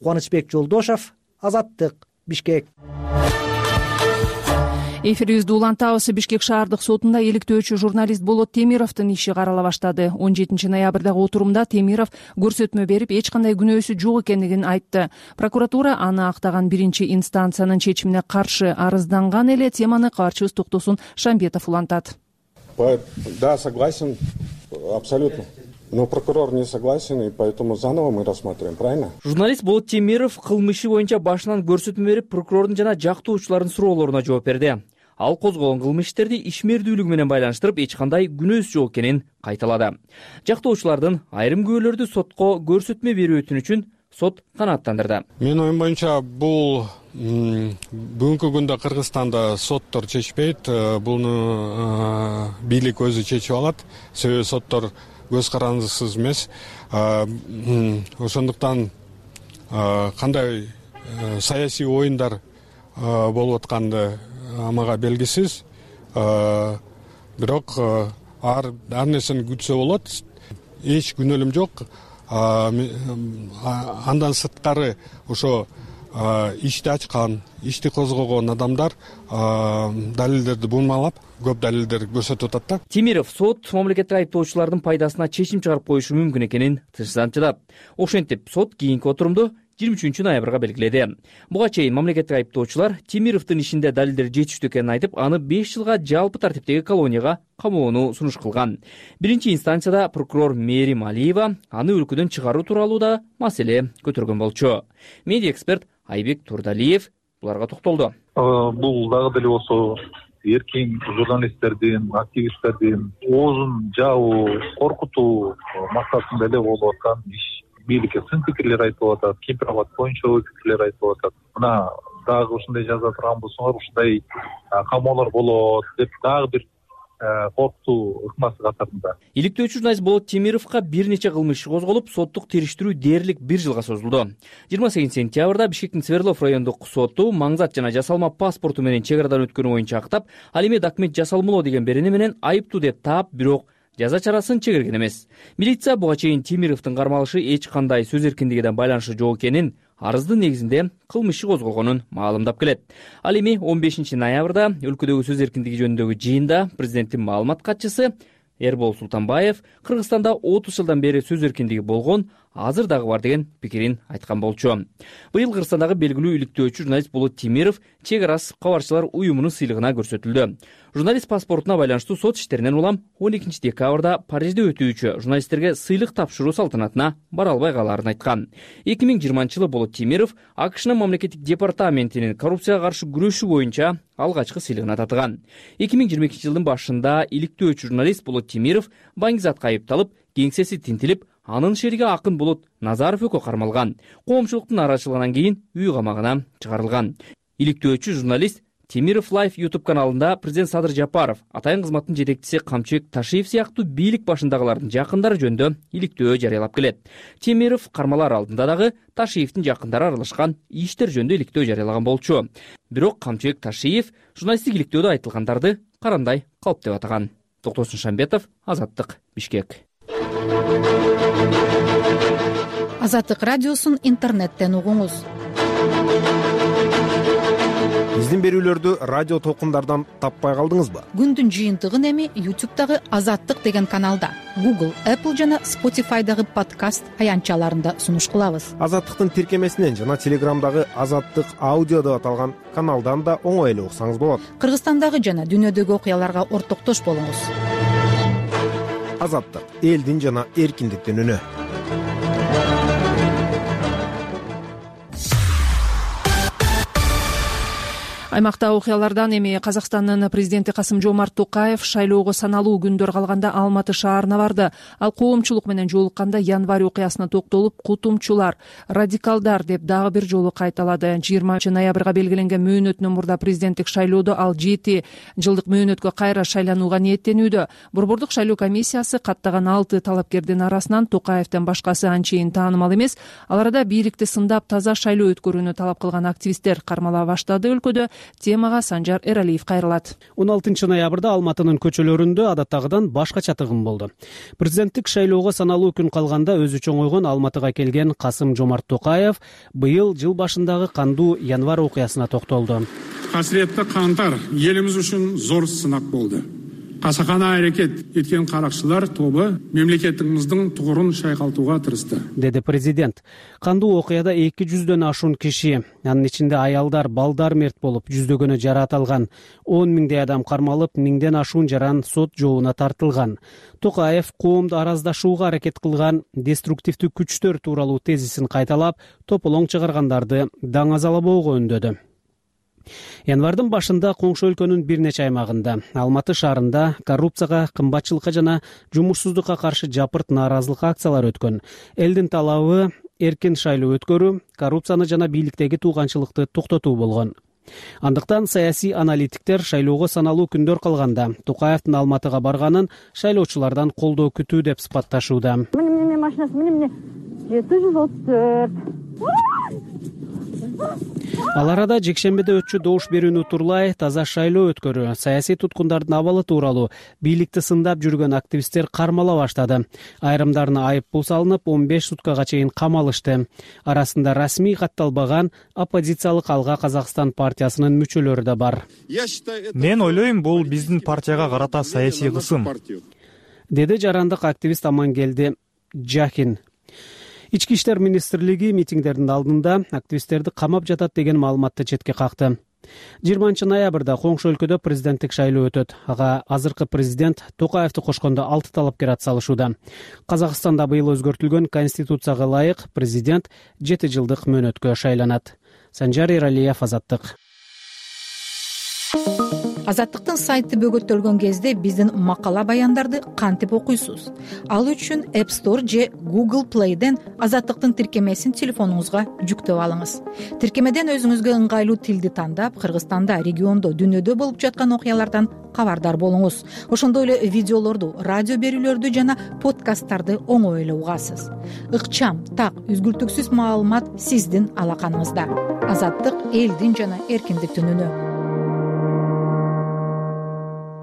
Кубанычбек Жолдошов, Азаттык, Бишкек. Эфирибизди улантабыз. Бишкек шаардык сотунда иликтөөчү журналист Болот Темировдун иши карала баштады. 17 ноябрдагы отурумда Темиров көрсөтмө берип, эч кандай күнөөсү жок экендигин айтты. Прокуратура аны актаган биринчи инстанциянын чечимине каршы арызданган эле. Теманы кабарчыбыз Токтосун Шамбетов улантат. Да, согласен, абсолютно. Но прокурор не согласен, и поэтому заново мы рассматриваем, правильно? Журналист Болот Темиров кылмыш иши боюнча башынан көрсөтмө берип, прокурордун жана жактоочулардын суроолоруна жооп берди. Ал козголгон кылмыш иштерди ишмердүүлүгү менен байланыштырып, эч кандай күнөөсү жок экенин кайталады. Жактоочулардын айрым күбөлөрдү сотко көрсөтмө берүү өтүнүчүн сот канааттандырды. Менин оюм боюнча бул бүгүнкү күндө Кыргызстанда соттор чечпейт, буну бийлик өзү чечип алат. Себеби соттор көз карандысыз эмес. Ошондуктан кандай саясий оюндар болуп атканды мага белгисиз. Бирок ар нерсени күтсө болот. Эч күнөөлүм жок. Андан сырткары ошо ишти ачкан, ишти козгогон адамдар далилдерди бурмалап, көп далилдер көрсөтүп атат да. Темиров сот мамлекеттик айыптоочулардын пайдасына чечим чыгарып коюшу мүмкүн экенин тынчсызданчыдап. Ошентип сот кийинки отурумду 23 ноябрга белгиледи. Буга чейин мамлекеттик айыптоочулар Темировдун ишинде далилдер жетиштүү экенин айтып, аны 5 жылга жалпы тартиптеги колонияга камоону сунуш кылган. Биринчи инстанцияда прокурор Мээрим Алиева аны өлкөдөн чыгаруу тууралуу да маселе көтөргөн болчу. Медиа эксперт Айбек Турдалиев буларга токтолду. Бул дагы деле болсо эркин журналисттердин, активисттердин оозун жаабуу, коркутуу максатында эле болуп аткан иш. Бийликке сын пикирлер айтылып атат, Кемпир-Абад боюнча ой пикирлер айтылып атат. Мына дагы ушундай жаза турган болсоңор, ушундай камоолор болот деп дагы бир коркутуу ыкмасы катарында. Иликтөөчү журналист Болот Темировго бир нече кылмыш иши козголуп, соттук териштирүү дээрлик 1 жылга созулду. 28 сентябрда Бишкектин Свердлов райондук соту маңзат жана жасалма паспорту менен чек арадан өткөнү боюнча актап, ал эми документ жасалмалоо деген берени менен айыптуу деп таап, бирок жаза чарасын чегерген эмес. Милиция буга чейин Темировдун кармалышы эч кандай сөз эркиндигине байланышы жок экенин, арыздын негизинде кылмыш иши козголгонун маалымдап келет. Ал эми 15 ноябрда өлкөдөгү сөз эркиндиги жөнүндөгү жыйында президенттин маалымат катчысы Эрбол Султанбаев Кыргызстанда 30 жылдан бери сөз эркиндиги болгон, азыр дагы бар деген пикирин айткан болчу. Быйыл Кыргызстандагы белгилүү иликтөөчү журналист Болот Темиров чек ара кабарчылар уюмунун сыйлыгына көрсөтүлдү. Журналист паспортуна байланыштуу сот иштеринен улам 12 декабрда Парижде өтүүчү журналисттерге сыйлык тапшыруу салтанатына бара албай калаарын айткан. 2020 жылы Болот Темиров АКШнын мамлекеттик департаментинин коррупцияга каршы күрөшүү боюнча алгачкы сыйлыгына татыган. 2022 жылдын башында иликтөөчү журналист Болот Темиров баңгизатка айыпталып, кеңсеси тинтилип, анын шериги Акын Болот Назаров экөө кармалган. Коомчулуктун арачылыгынан кийин үй камагына чыгарылган. Иликтөөчү журналист Темиров Лайф YouTube каналында президент Садыр Жапаров, атайын кызматтын жетекчиси Камчыбек Ташиев сыяктуу бийлик башындагылардын жакындары жөнүндө иликтөө жарыялап келет. Темиров кармалар алдында дагы Ташиевдин жакындары аралашкан иштер жөнүндө иликтөө жарыялаган болчу. Бирок Камчыбек Ташиев журналисттик иликтөөдө айтылгандарды карандай калп деп атаган. Токтосун Шамбетов, Азаттык, Бишкек. Азаттык радиосун интернеттен угуңуз. Биздин берүүлөрдү радио толкундардан таппай калдыңызбы? Күндүн жыйынтыгын эми YouTube'дагы Азаттык деген каналда, Google, Apple жана Spotify'дагы подкаст аянтчаларында сунуш кылабыз. Азаттыктын тиркемесинен жана Телеграмдагы Азаттык аудио деп аталган каналдан да оңой эле уксаңыз болот. Кыргызстандагы жана дүйнөдөгү окуяларга ортоктош болуңуз. Азаттык — элдин жана эркиндиктин үнү. Аймакта окуялардан эми Казакстандын президенти Касым-Жомарт Токаев шайлоого саналуу күндөр калганда Алматы шаарына барды. Ал коомчулук менен жолукканда январь окуясына токтолуп, кутумчулар, радикалдар деп дагы бир жолу кайталады. 20 ноябрга белгиленген мөөнөтүнөн мурда президенттик шайлоодо ал 7 жылдык мөөнөткө кайра шайланууга ниеттенүүдө. Борбордук шайлоо комиссиясы каттаган 6 талапкердин арасынан Токаевден башкасы анчейин таанымал эмес. Ал арада бийликти сындап таза шайлоо өткөрүүнү талап кылган активисттер кармала баштады. Өлкөдө темага Санжар Эралиев кайрылат. 16 ноябрда Алматынын көчөлөрүндө адаттагыдан башкача тыгын болду. Президенттик шайлоого саналуу күн калганда өзү чоңойгон Алматыга келген Касым-Жомарт Токаев быйыл жыл башындагы кандуу январь окуясына токтолду. Касиеттүү кантар элибиз үчүн зор сынак болду. Касакана аракет эткен каракчылар тобу мемлекетибиздин тугурун шайкалтууга тырышты, деди президент. Кандуу окуяда 200дөн ашуун киши, анын ичинде аялдар, балдар мерт болуп, жүздөгөнү жараат алган. 10 миңдей адам кармалып, 1000ден ашуун жаран сот жообуна тартылган. Токаев коомду араздашууга аракет кылган деструктивдүү күчтөр тууралуу тезисин кайталап, тополоң чыгаргандарды даңазалабоого үндөдү. Январдын башында коңшу өлкөнүн бир нече аймагында, Алматы шаарында коррупцияга, кымбатчылыкка жана жумушсуздукка каршы жапырт нааразылык акциялары өткөн. Элдин талабы эркин шайлоо өткөрүү, коррупцияны жана бийликтеги тууганчылыкты токтотуу болгон. Андыктан саясий аналитиктер шайлоого саналуу күндөр калганда Токаевдин Алматыга барганын шайлоочулардан колдоо күтүү деп сыпатташууда. Міне машинасы, міне 734. Ал арада жекшембиде өтчү добуш берүүнү утурлай таза шайлоо өткөрүү, саясий туткундардын абалы тууралуу бийликти сындап жүргөн активисттер кармала баштады. Айрымдарына айып пул салынып, 15 суткага чейин камалышты. Арасында расмий катталбаган оппозициялык Алга Казакстан партиясынын мүчөлөрү да бар. Мен ойлойм, бул биздин партияга карата саясий кысым, деди жарандык активист Амангелди Жахин. Ички иштер министрлиги митингдердин алдында активисттерди камап жатат деген маалыматты четке какты. 20 ноябрда коңшу өлкөдө президенттик шайлоо өтөт. Ага азыркы президент Токаевди кошкондо 6 талапкер атсалышууда. Казакстанда быйыл өзгөртүлгөн конституцияга ылайык президент 7 жылдык мөөнөткө шайланат. Санжар Эралиев, Азаттык. Азаттыктын сайты бөгөттөлгөн кезде биздин макала баяндарды кантип окуйсуз? Ал үчүн App Store же Google Play'ден Азаттыктын тиркемесин телефонуңузга жүктөп алыңыз. Тиркемеден өзүңүзгө ыңгайлуу тилди тандап, Кыргызстанда, региондо, дүйнөдө болуп жаткан окуялардан кабардар болуңуз. Ошондой эле видеолорду, радио берүүлөрдү жана подкасттарды оңой эле угасыз. Ыкчам, так, үзгүлтүксүз маалымат сиздин алаканыңызда. Азаттык — элдин жана эркиндиктин үнү.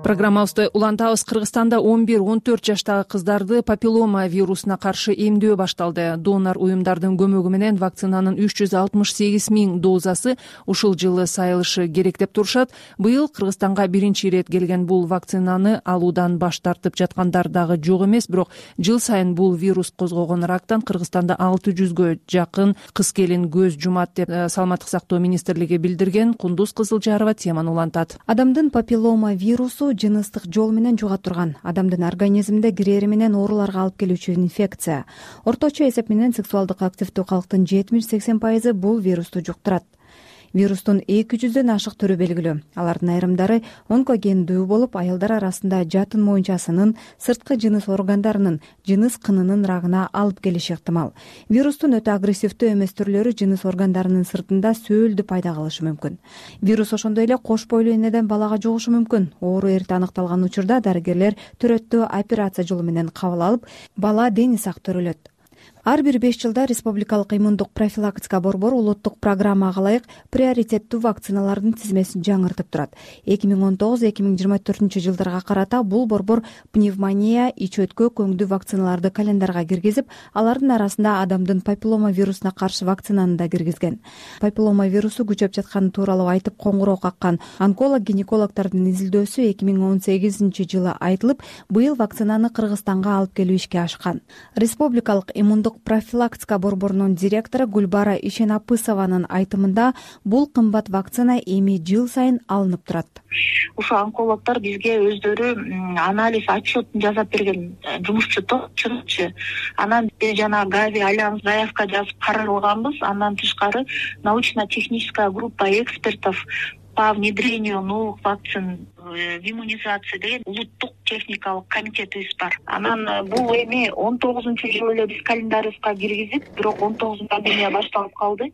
Программабызды улантабыз. Кыргызстанда 11-14 жаштагы кыздарды папиллома вирусуна каршы эмдөө башталды. Донор уюмдардын көмөгү менен вакцинанын 368 000 дозасы ушул жылы сайылышы керек деп турушат. Быйыл Кыргызстанга биринчи ирет келген бул вакцинаны алуудан баш тартып жаткандар дагы жок эмес, бирок жыл сайын бул вирус козгогон рактан Кыргызстанда 600гө жакын кыз-келин көз жумат деп Саламаттык сактоо министрлиги билдирген. Кундуз Кызылжарова теманы улантат. Адамдын папиллома вирусу жыныстык жол менен жуга турган, адамдын организминде кирери менен ооруларга алып келүүчү инфекция. Орточо эсеп менен сексуалдык активдүү калктын 70-80% бул вирусту жуктурат. Вирустун 200дөн ашык түрү белгилүү. Алардын айрымдары онкогендүү болуп, аялдар арасында жатын моюнчасынын, сырткы жыныс органдарынын, жыныс кынынын рагына алып келиши ыктымал. Вирустун өтө агрессивдүү эмес түрлөрү жыныс органдарынын сыртында сөөлдү пайда кылышы мүмкүн. Вирус ошондой эле кош бойлуу энеден балага жугушу мүмкүн. Оору эрте аныкталган учурда дарыгерлер төрөттөө операция жолу менен кабыл алып, бала дени сак төрөлөт. Ар бир 5 жылда Республикалык иммундук профилактика борбору улуттук программага ылайык приоритеттүү вакциналардын тизмесин жаңыртып турат. 2019-2024 жылдарга карата бул борбор пневмония, ич өткө, көңдүү вакциналарды календарга киргизип, алардын арасында адамдын папиллома вирусуна каршы вакцинаны да киргизген. Папиллома вирусу күчөп жатканы тууралуу айтып коңгуроо каккан онколог-гинекологдордун изилдөөсү 2018 жылы айтылып, быйыл вакцинаны Кыргызстанга алып келүү ишке ашкан. Республикалык иммундук профилактика борборунун директору Гүлбара Ишенапысованын айтымында, бул кымбат вакцина эми жыл сайын алынып турат. Ушу онкологдор бизге өздөрү анализ отчетун жасап берген, жумушчу топчу. Анан биз жана Гави Альянс заявка жазып каралганбыз. Андан тышкары научно-техническая группа экспертов по внедрению новых вакцин в иммунизации деген улуттук техникалык комитетибиз бар. Анан бул эми 19-жылы эле биз календарыбызга киргизип, бирок 19 пандемия башталып калды.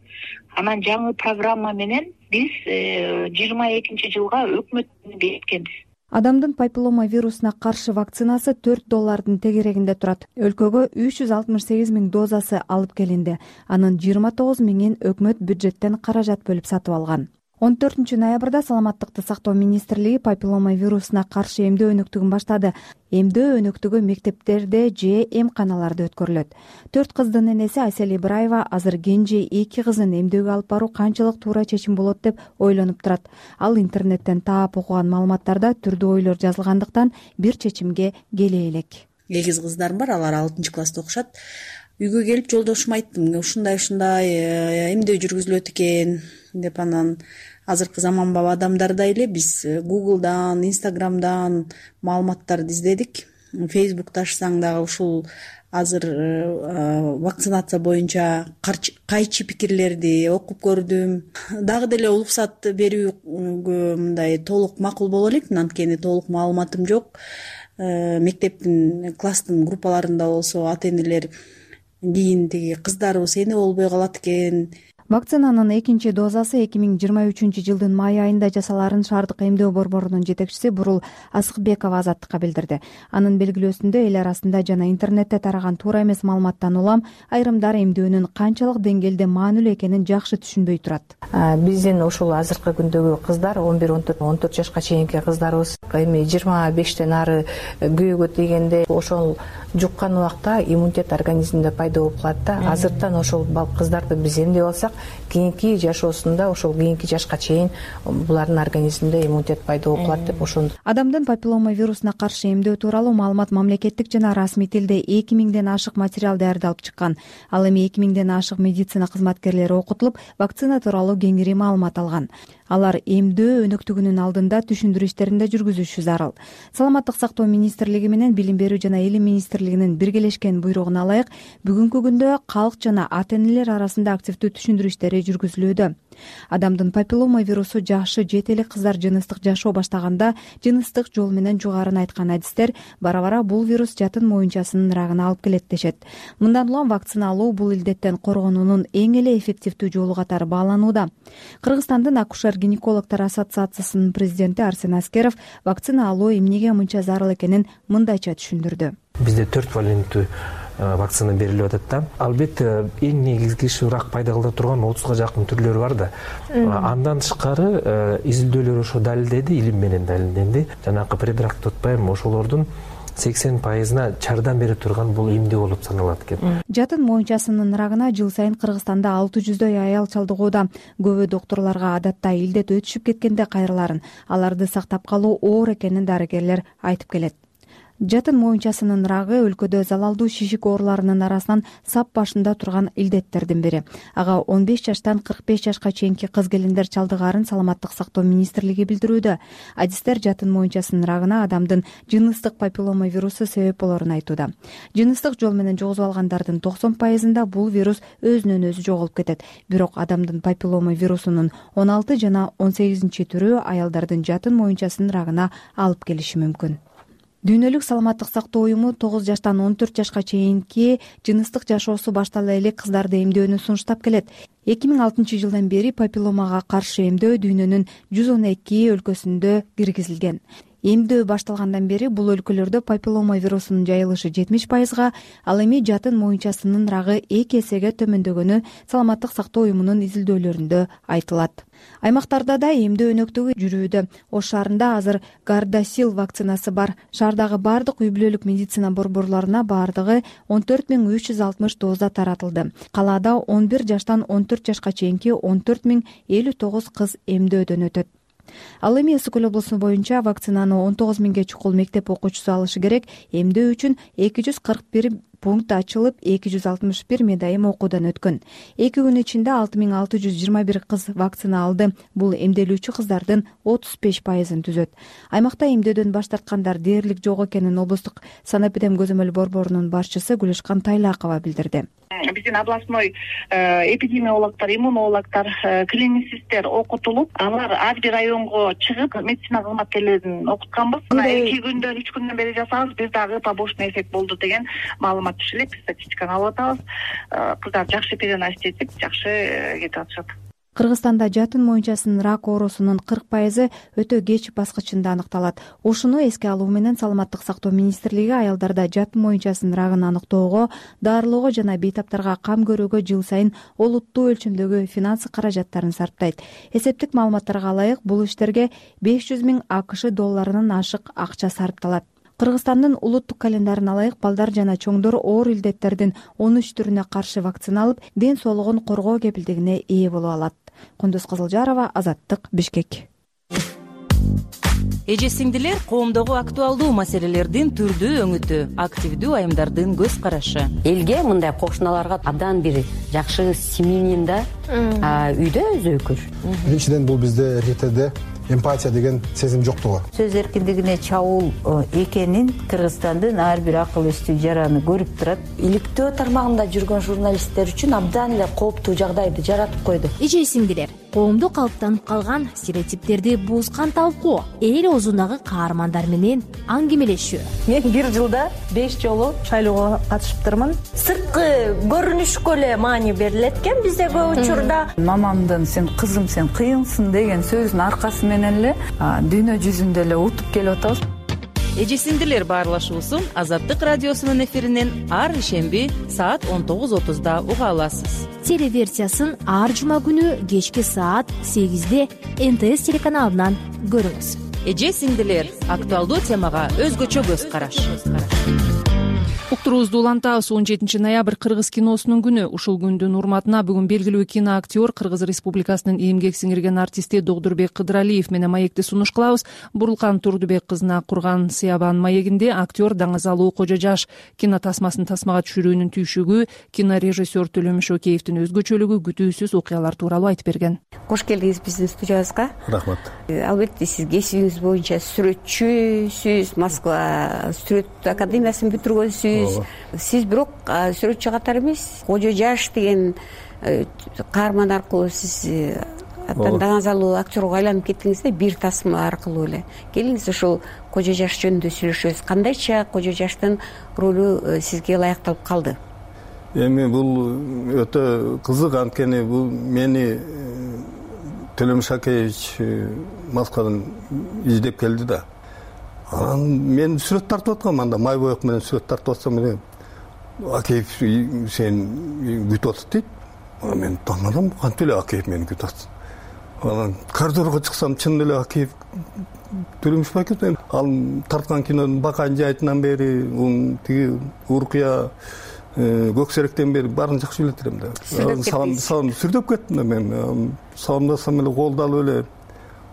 Анан жаңы программа менен биз 22 жылга өкмөттүн берткенбиз. Адамдын папиллома вирусуна каршы вакцинасы $4 тегерегинде турат. Өлкөгө 368 000 дозасы алып келинди. Анын 29 000-ин өкмөт бюджеттен каражат бөлүп сатып алган. 14 ноябрда Саламаттыкты сактоо министрлиги папиллома вирусуна каршы эмдөө өнөктүгүн баштады. Эмдөө өнөктүгү мектептерде же эмканаларда өткөрүлөт. 4 кыздын энеси Айсел Ибраева азыр кенже 2 кызын эмдөөгө алып баруу канчалык туура чечим болот деп ойлонуп турат. Ал интернеттен таап окуган маалыматтарда түрдүү ойлор жазылгандыктан бир чечимге келе элек. Эгиз кыздарым бар, алар 6-класста окушат. Үйгө келип жолдошума айттым, ушундай эмдөө жүргүзүлөт экен деп. Анан азыркы заманбап адамдардай эле биз Google'дан, Instagram'дан маалыматтарды издедик. Facebook'та ачсаң дагы ушул азыр вакцинация боюнча кайчы пикирлерди окуп көрдүм. Дагы деле уруксат берүүгө мындай толук макул боло элек, анткени толук маалыматым жок. Мектептин класстын группаларында болсо ата-энелер кийин тиги кыздарыбыз эне болбой калат экен. Вакцинанын экинчи дозасы 2023 жылдын май айында жасаларын шаардык эмдөө борборунун жетекчиси Бурул Асыкбекова Азаттыкка билдирди. Анын белгилөөсүндө эл арасында жана интернетте тараган туура эмес маалыматтан улам айрымдар эмдөөнүн канчалык деңгээлде маанилүү экенин жакшы түшүнбөй турат. Биздин ушул азыркы күндөгү кыздар 11-14 жашка чейинки кыздарыбыз эми 25тен ары күйөөгө тийгенде ошол жуккан убакта иммунитет организмде пайда болуп калат да. Азыртан ошол кыздарды биз эмдеп алсак, кийинки жашоосунда ошол кийинки жашка чейин булардын организминде иммунитет пайда болуп калат деп ошондо. Адамдын папиллома вирусуна каршы эмдөө тууралуу маалымат мамлекеттик жана расмий тилде 2000ден ашык материал даярдалып чыккан. Ал эми 2000ден ашык медицина кызматкерлери окутулуп, вакцина тууралуу кеңири маалымат алган. Алар эмдөө өнөктүгүнүн алдында түшүндүрүү иштерин да жүргүзүшү зарыл. Саламаттык сактоо министрлиги менен Билим берүү жана илим министрлигинин биргелешкен буйругуна ылайык бүгүнкү күндө калк жана ата-энелер арасында активдүү түшүндүрүү иштери жүргүзүлүүдө. Адамдын папиллома вирусу жашы жетелик кыздар жыныстык жашоо баштаганда жыныстык жол менен жугарын айткан адистер бара-бара бул вирус жатын моюнчасынын рагына алып келет дешет. Мындан улам вакцина алуу бул илдеттен коргонуунун эң эле эффективдүү жолу катары бааланууда. Кыргызстандын акушер-гинекологдор ассоциациясынын президенти Арсен Аскеров вакцина алуу эмнеге мынча зарыл экенин мындайча түшүндүрдү. Бизде 4 валенттүү вакцина берилип атат да. Албетте эң негизги рак пайда кылдырып турган 30га жакын түрлөрү бар да. Андан тышкары изилдөөлөр ошо далилдеди, илим менен далилденди. Жанагы предрак деп атпайбы, ошолордун 80%-на жардам берип турган бул эмдөө болуп саналат экен. Жатын моюнчасынын рагына жыл сайын Кыргызстанда 600дөй аял чалдыгууда. Көбү доктурларга адатта илдет өтүшүп кеткенде кайрыларын, аларды сактап калуу оор экенин дарыгерлер айтып келет. Жатын моюнчасынын рагы өлкөдө залалдуу шишик ооруларынын арасынан сап башында турган илдеттердин бири. Ага 15 жаштан 45 жашка чейинки кыз-келиндер чалдыгаарын Саламаттык сактоо министрлиги билдирүүдө. Адистер жатын моюнчасынын рагына адамдын жыныстык папиллома вирусу себеп болорун айтууда. Жыныстык жол менен жугузуп алгандардын 90%-ында бул вирус өзүнөн өзү жоголуп кетет. Бирок адамдын папиллома вирусунун 16 жана 18-түрү аялдардын жатын моюнчасынын рагына алып келиши мүмкүн. Дүйнөлүк саламаттык сактоо уюму 9 жаштан 14 жашка чейинки жыныстык жашоосу баштала элек кыздарды эмдөөнү сунуштап келет. 2006 жылдан бери папилломага каршы эмдөө дүйнөнүн 112 өлкөсүндө киргизилген. Эмдөө башталгандан бери бул өлкөлөрдө папиллома вирусунун жайылышы 70%, ал эми жатын моюнчасынын рагы 2 эсеге төмөндөгөнү Саламаттык сактоо уюмунун изилдөөлөрүндө айтылат. Аймактарда да эмдөө өнөктүгү жүрүүдө. Ош шаарында азыр Гардасил вакцинасы бар. Шаардагы бардык үй-бүлөлүк медицина борборлоруна бардыгы 14360 доза таратылды. Калаада 11 жаштан 14 жашка чейинки 14059 кыз эмдөөдөн өтөт. Ал эми Ысык көл облусу боюнча вакцинаны 19000 чукул мектеп окуучусу алышы керек. Эмдөө үчүн 241 пункт ачылып, 261 медайым окуудан өткөн. 2 күн ичинде 6621 кыз вакцина алды. Бул эмделүүчү кыздардын 35%-ын түзөт. Аймакта эмдөөдөн баш тарткандар дээрлик жок экенин облустук санэпидем көзөмөл борборунун башчысы Гүлишкан Тайлакова билдирди. Биздин областной эпидемиологдор, иммунологдор, клиницисттер окутулуп, алар ар бир районго чыгып медицина кызматкерлерин окутканбыз. Мына 2 күндөн 3 күндөн бери жасабыз, бир дагы побочный эффект болду деген маалымат түшүп элек, статистиканы алып атабыз. Кыздар жакшы переносить этип, жакшы кетип атышат. Кыргызстанда жатын моюнчасынын рак оорусунун 40% өтө кеч баскычында аныкталат. Ушуну эске алуу менен Саламаттык сактоо министрлиги аялдарда жатын моюнчасынын рагын аныктоого, дарылоого жана бейтаптарга кам көрүүгө жыл сайын олуттуу өлчөмдөгү финансы каражаттарын сарптайт. Эсептик маалыматтарга ылайык, бул иштерге 500 000 АКШ долларынан ашык акча сарпталат. Кыргызстандын улуттук календарына ылайык балдар жана чоңдор оор илдеттердин 13 түрүнө каршы вакцина алып, ден соолугун коргоо кепилдигине ээ боло алат. Кундуз Кызылжарова, Азаттык, Бишкек. Эже-сиңдилер коомдогу актуалдуу маселелердин түрдүү өңүтү, активдүү айымдардын көз карашы. Элге мындай кошуналарга абдан бир жакшы семьянин да үйдө өзөкүр. Биринчиден бул бизде эркектерде эмпатия деген сезим жоктугу. Сөз эркиндигине чабуул экенин Кыргызстандын ар бир акыл эстүү жараны көрүп турат. Иликтөө тармагында жүргөн журналисттер үчүн абдан эле кооптуу жагдайды жаратып койду. Эже-сиңдилер, коомдо калыптанып калган стереотиптерди бузган талкуу, эл оозундагы каармандар менен аңгемелешүү. Мен бир жылда 5 жолу шайлоого катышыптырмын. Сырткы көрүнүшкө эле маани берилет экен бизде көп учурда. Мамамдын "сен кызым, сен кыйынсың" деген сөзүнүн аркасы менен эле дүйнө жүзүндө эле утуп келип атабыз. Эже-сиңдилер баарлашуусун Азаттык радиосунун эфиринен ар ишемби саат 19:30 уга аласыз. Телеверсиясын ар жума күнү кечки саат 8-де НТС телеканалынан көрүңүз. Эже-сиңдилер актуалдуу темага өзгөчө көз караш. Уктуруубузду улантабыз. 17 ноябрь Кыргыз киносунун күнү. Ушул күндүн урматына бүгүн белгилүү киноактер, Кыргыз Республикасынын эмгек сиңирген артисти Догдурбек Кыдыралиев менен маекти сунуш кылабыз. Бурулкан Турдубек кызына курган Сыябан маегинде актер Даңазалуу Кожо Жаш кинотасмасын тасмага түшүрүүнүн түйшүгү, кинорежиссер Төлөмүш Океевдин өзгөчөлүгү, күтүүсүз окуялар тууралуу айтып берген. Кош келдиңиз биздин студиябызга. Рахмат. Албетте сиз кесибиңиз боюнча сүрөтчүсүз, Москва сүрөт академиясын бүтүргөнсүз. Сиз бирок сүрөтчү катары эмес, Кожо Жаш деген каарман аркылуу сиз Даңазалуу актерго айланып кеттиңиз да, бир тасма аркылуу эле. Келиңиз ушул Кожо Жаш жөнүндө сүйлөшөбүз. Кандайча Кожо Жаштын ролу сизге ылайыкталып калды? Эми бул өтө кызык, анткени бул мени Төлөмүш Акеевич Москвадан издеп келди да. Мен сүрөт тартып аткам, анда май боек менен сүрөт тартып атсам эле Акеев сен күтүп атат дейт. Мен таңдадым, кантип эле Акеев мени күтүп атат. Анан коридорго чыксам, чын эле Акеев Төлөмүш Акеев. Ал тарткан кинонун Бакан жайытынан бери, тиги Уркуя Көксеректен бери баарын жакшы билет элем да. Салам сүрдөп кеттим да мен. Саламдасам эле колду алып эле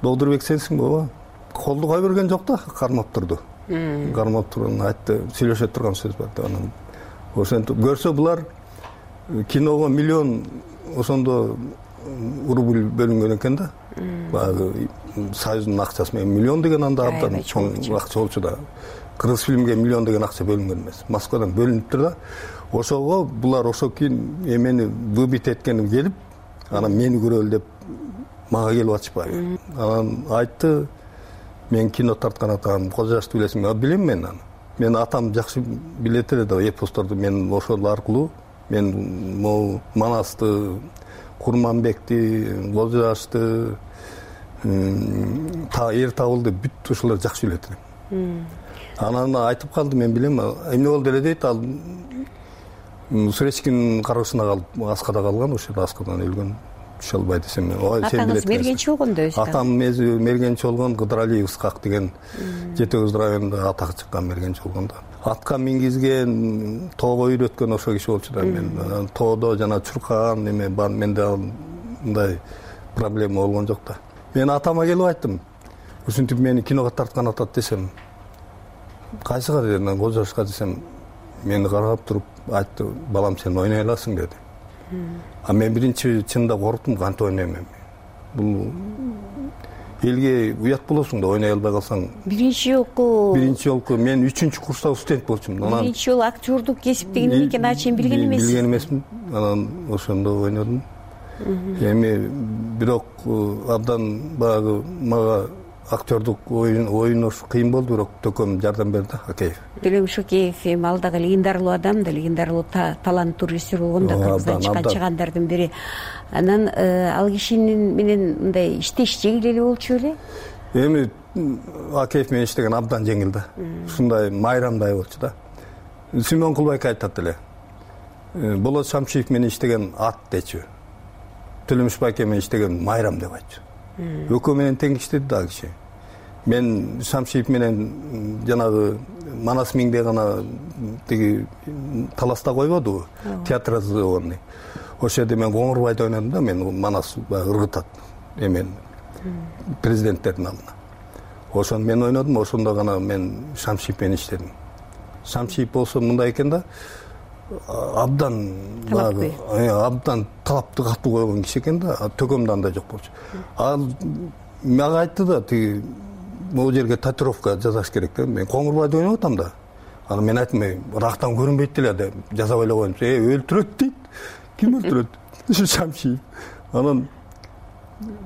Догдурбек сенсиң баба? Колду кой берген жок да, кармап турду. Кармап турган айтты, сүйлөшө турган сөз бар да. Анан ошентип көрсө булар киного миллион ошондо рубль бөлүнгөн экен да. Баягы Союздун акчасы менен миллион деген анда абдан чоң акча болчу да. Кыргыз фильмге миллион деген акча бөлүнгөн эмес. Москвадан бөлүнүптүр да. Ошого булар ошо кийин эмени выбит эткеним келип, анан мени көрөлү деп мага келип атышпайбы. Анан айтты, мен кино тарткан атам, Кожо Жашты билесиңби? Билем мен аны. Мен атам жакшы билет эле да, эпосторду мен ошол аркылуу мен могу Манасты, Курманбекти, Кожо Жашты, эр табылды, бүт ошолор жакшы билет элем. Анан айтып калды, мен билем, эмне болду эле дейт, ал Суречкинин кароосуна калып аскада калган, ошол аскадан өлгөн. Түшө албай десем, атаңыз мергенчи болгондо өзү? Атам мергенчи болгон, Кыдыралиев Ыскак деген Жети Кыз районунда атак чыккан мергенчи болгондо. Атка мингизген, тоого үйрөткөн ошол киши болчу да. Мен тоодо жана чуркаган неме бар, менде мындай проблема болгон жок да. Мен атама келип айттым, ушинтип мени киного тарткан атат десем, кайсыга дедим, Кожошка десем, мени карап туруп айтты, балам сен ойной аласың деди. А мен биринчи чынында корктум, кантип ойнойм эми. Бул элге уят болосуң да, ойной албай калсаң. Биринчи жолку мен 3-курстагы студент болчумун. Биринчи жолу актёрдук кесипти эмне экенин ачык билген эмес. Билген эмесмин. Анан ошондо ойнодум. Эми бирок абдан баягы мага актёрдук ойнош кыйын болду, бирок төкөм жардам берди, Акеев. Төлөм Шокеев эми ал дагы легендарлуу адам да, легендарлуу таланттуу режиссер болгон да, Кыргыздан чыккан чыгандардын бири. Анан ал кишинин менен мындай иштеш жеңил эле болчу беле? Эми Акеев менен иштеген абдан жеңил да. Ушундай майрамдай болчу да. Симон Кулбайка айтат эле. Болот Шамшиев менен иштеген ат дечү. Төлөмүш байке менен иштеген майрам деп айтчу. Экөө менен тең иштеди да киши. Мен Шамшиев менен жанагы Манас Миңде гана тиги таласта койбодубу, театрализованный. Ошол жерде мен Коңурбайды ойнодум да, мен Манас ыргытат эмен президенттердин алдына. Ошону мен ойнодум, ошондо гана мен Шамшиев менен иштедим. Шамшиев болсо мындай экен да, абдан талапты катуу койгон киши экен да, төкөмдө андай жок болчу. Ал мага айтты да, тиги могу жерге татуировка жасаш керек деп. Мен Коңурбайды ойноп атам да. Анан мен айттым, рактан көрүнбөйт деле деп жасап эле коем. Өлтүрөт дейт. Ким өлтүрөт? Шамшиев. Анан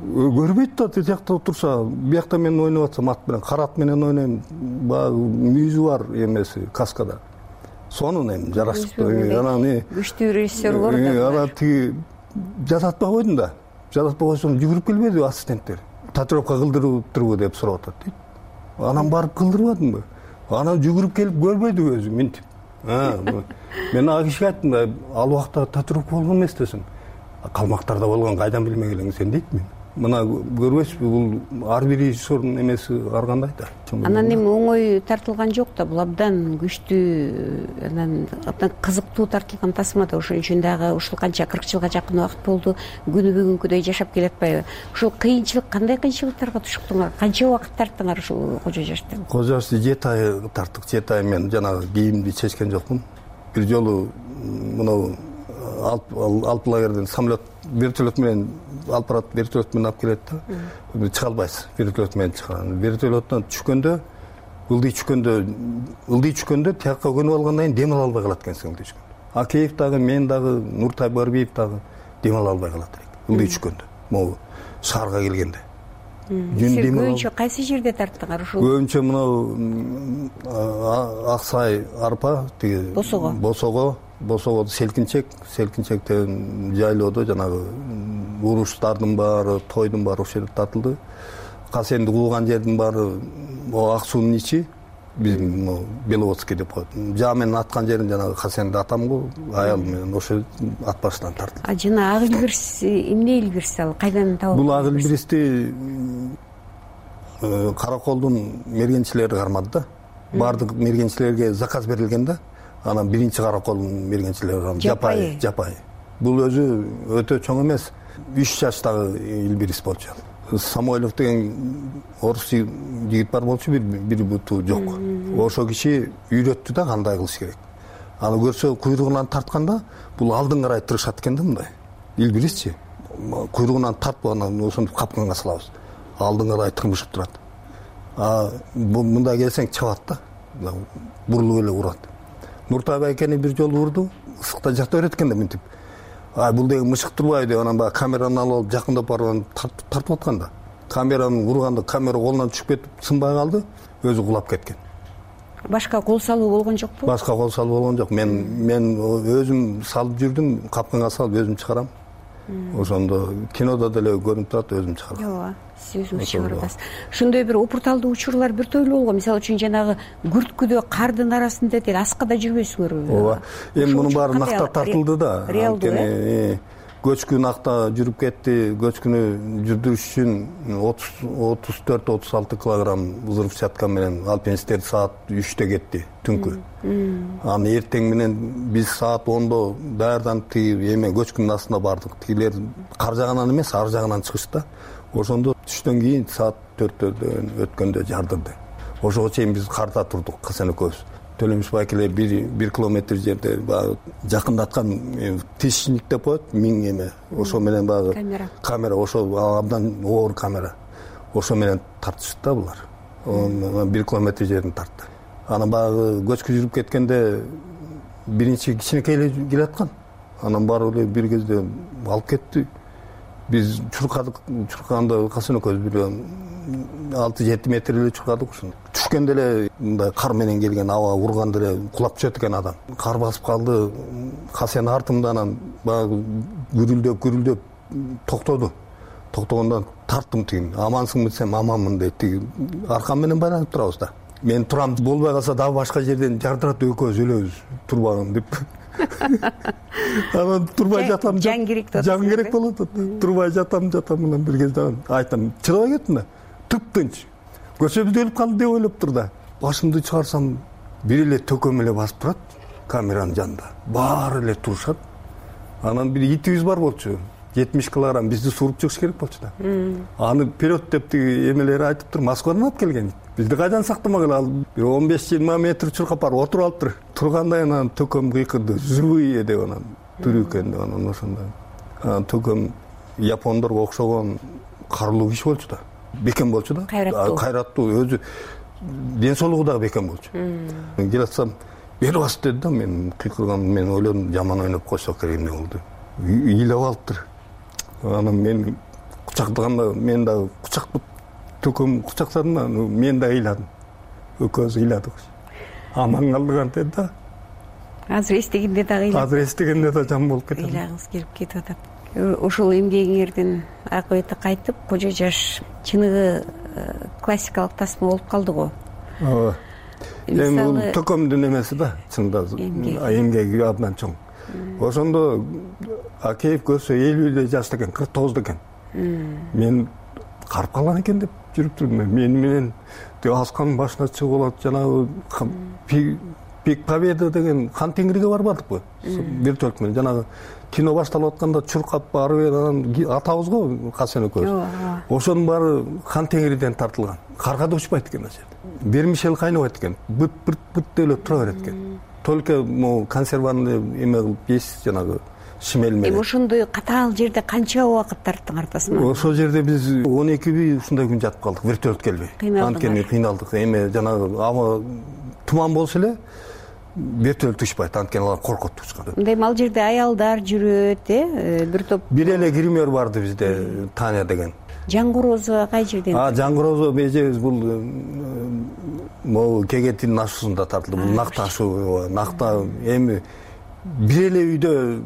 көрбөйт да, тиякта турса, биякта мен ойноп атсам, ат менен, карат менен ойнойм. Баягы мүйүзү бар эмеси, каскада. Сонун эми жарашыктуу. Анан күчтүү режиссер бар да. Анан тиги жасатпай койдум да. Жасатпай койсом жүгүрүп келбеди ассистенттер. Татуировка кылдырыптырбы деп сурап атат дейт. Анан барып кылдырбадымбы? Анан жүгүрүп келип көрбөйдү өзү минтип. Мен ага кишиге айттым, ал убакта татуировка болгон эмес десем. Калмактарда болгон кайдан билмек элең сен дейт мен. Мына көрбөйсүзбү, бул ар бир режиссердун эмеси ар кандай да. Анан эми оңой тартылган жок да, бул абдан күчтүү, анан абдан кызыктуу тартылган тасма да. Ошон үчүн дагы ушул канча 40 жылга жакын убакыт болду, күнү бүгүнкүдөй жашап келатпайбы? Ушул кыйынчылык, кандай кыйынчылыктарга тушуктуңар? Канча убакыт тарттыңар ушул Кожо Жашты? Кожо Жашты 7 ай тарттык. 7 ай мен жанагы кийимди чечкен жокмун. Бир жолу мына алып лагерден самолет, вертолет менен алып барат, вертолет менен алып келет да. Чыга албайсыз, вертолет менен чыган. Вертолеттон түшкөндө, ылдый түшкөндө тияка көнүп алгандан кийин дем ала албай калат экенсиң ылдый түшкөндө. Акеев дагы, мен дагы, Нуртай Барбиев дагы дем ала албай калат элек ылдый түшкөндө. Могу шаарга келгенде. Көбүнчө кайсы жерде тарттыңар ушул? Көбүнчө мына Аксай арпа, тиги Босого селкинчектен жайлоодо жанагы уруштардын баары, тойдун баары ошол жерде тартылды. Касенди кууган жердин баары ак суунун ичи, биздин Беловодский деп коет. Жаа менен аткан жерин жанагы Касенди атам го, аялым менен ошол ат башынан тартылды. А жана ак илбирс эмне илбирс ал? Кайдан табылды? Бул ак илбирсти Караколдун мергенчилери кармады да. Бардык мергенчилерге заказ берилген да. Анан биринчи Караколдун мергенчилери Жапай. Бул өзү өтө чоң эмес. 3 жаштагы илбирис болчу. Самойлов деген орус жигит бар болчу, бир буту жок. Ошол киши үйрөттү да кандай кылыш керек. Аны көрсө куйругунан тартканда, бул алдын карай тырышат экен да мындай. Илбирисчи. Куйругунан тартып анан ошентип капканга салабыз. Алдын карай тырмышып турат. Мындай келсең чабат да. Бурулуп эле урат. Нуртай байкени бир жолу урду, ысыкта жата берет экен да мынтип. Бул деген мышык турбайбы деп анан баягы камераны алып жакындап барып тартып атканда. Камераны урганда камера колунан түшүп кетип, сынбай калды, өзү кулап кеткен. Башка кол салуу болгон жокпу? Башка кол салуу болгон жок. Мен өзүм салып жүрдүм, капканга салып өзүм чыгарам. ошондо кинодо деле көрүнүп турат, өзүм чыгарам. ооба, сиз өзүңүз чыгарып атасыз. Ошондой бир опурталдуу учурлар бир тойлуу болгон. Мисалы үчүн жанагы күрткүдө кардын арасында тил аскада жүрбөйсүңөрбү? ооба, эми мунун баары накта тартылды да. Реалдуу көчкү накта жүрүп кетти. Көчкүнү жүрдүрүш үчүн 34-36 килограмм взрывчатка менен алпинисттер саат 3-тө кетти түнкү. Аны эртең менен биз саат 10-до даярданып эме көчкүнүн астына бардык. Тигилер кар жагынан эмес, ар жагынан чыгышты. Ошондо түштөн кийин саат 4-төн өткөндө жардырды. Ошого чейин биз карда турдук, Касен экөөбүз. Төлөмүш байкелер 1 километр жерде баягы жакындаткан тишник деп коет, миң эме. Ошо менен баягы камера, ошо абдан оор камера. Ошо менен тартышты да булар. 1 километр жерден тартты. Анан баягы көчкү жүрүп кеткенде биринчи кичинекей эле келаткан. Анан барып эле бир кезде алып кетти. Биз чуркадык, чуркаганда Касен экөөбүз бир 6-7 метр эле чуркадык ушунда. Түшкөндө эле мындай кар менен келген аба урганда эле кулап түшөт экен адам. Кар басып калды. Касен артымда анан баягы гүрүлдөп токтоду. Токтогондон тарттым тигин. Амансыңбы десем, аманмын дейт. Тиги аркам менен байланып турабыз да. Мен турам, болбой калса дагы башка жерден жардырат, экөөбүз өлөбүз турбаган деп. Анан турбай жатам. Жан керек да. Жан керек болот. Турбай жатам анан бир кезде айтам, чыдабай кеттим да. Тыптынч. Көчөбүз өлүп калды деп ойлоп тур да. Башымды чыгарсам, бир эле төкөм эле басып турат камеранын жанында. Баары эле турушат. Анан бир итибиз бар болчу. 70 килограмм бизди сууруп чыгыш керек болчу да. Аны вперед деп тиги эмелери айтып тур, Москвадан алып келген. Бизди кайдан сактамагыла, бир 15-20 метр чуркап барып отуруп алыптыр. Тургандай анан төкөм кыйкырды. Живые деп анан тирүү экен деп анан ошондой. Анан төкөм япондорго окшогон карылуу киши болчу да. Бекем болчу да. Кайраттуу, өзү ден соолугу дагы бекем болчу. Келатсам, бери бас деди да, мен кыйкырган, мен ойлодум жаман ойноп койсок керек эмне болду. Ыйлап алыптыр. Анан мен кучактаганда мен дагы кучактап төкөм кучактадым да, мен да ыйладым. Экөөбүз ыйладык. Аман калдык антет да. Азыр эстегенде дагы ыйлап. Азыр эстегенде да жам болуп кетет. Ыйлагыңыз келип кетип атат. Ошол эмгегиңердин акыбети кайтып, кожо жаш чыныгы классикалык тасма болуп калды го. Ооба. Эми төкөмдүн эмеси да, чында эмгеги абдан чоң. Ошондо Акеев көрсө 50 жашта экен, 49 экен. Мен карып калган экен деп жүрүп турдум. Мен менен асканын башына чыгып алат, жанагы Пик Победа деген Хан Теңирге барбадыкпы? Вертолет менен жанагы кино башталып атканда чуркап барып анан атабыз го Касен экөөбүз. Ошонун баары Хан Теңирден тартылган. Карга да учпайт экен ошол. Вермишель кайнабайт экен. Быт деле тура берет экен. Только могу консерванный эме кылып жейсиз, жанагы шимел менен. Ошондой катаал жерде канча убакыт тарттыңар тасма? Ошол жерде биз 12 ушундай күн жатып калдык, вертолет келбей. Анткени кыйналдык. Эме жанагы аба туман болсо эле вертолет учпайт, анткени алар коркот учкан. Мындай ал жерде аялдар жүрөт, бир топ. Бир эле гример барды бизде, Таня деген. Жангорозо кай жерден? Жангорозо межебиз бул могу Кегетиндин ашуусунда тартылды. Бул накта ашуу, накта эми бир эле үйдө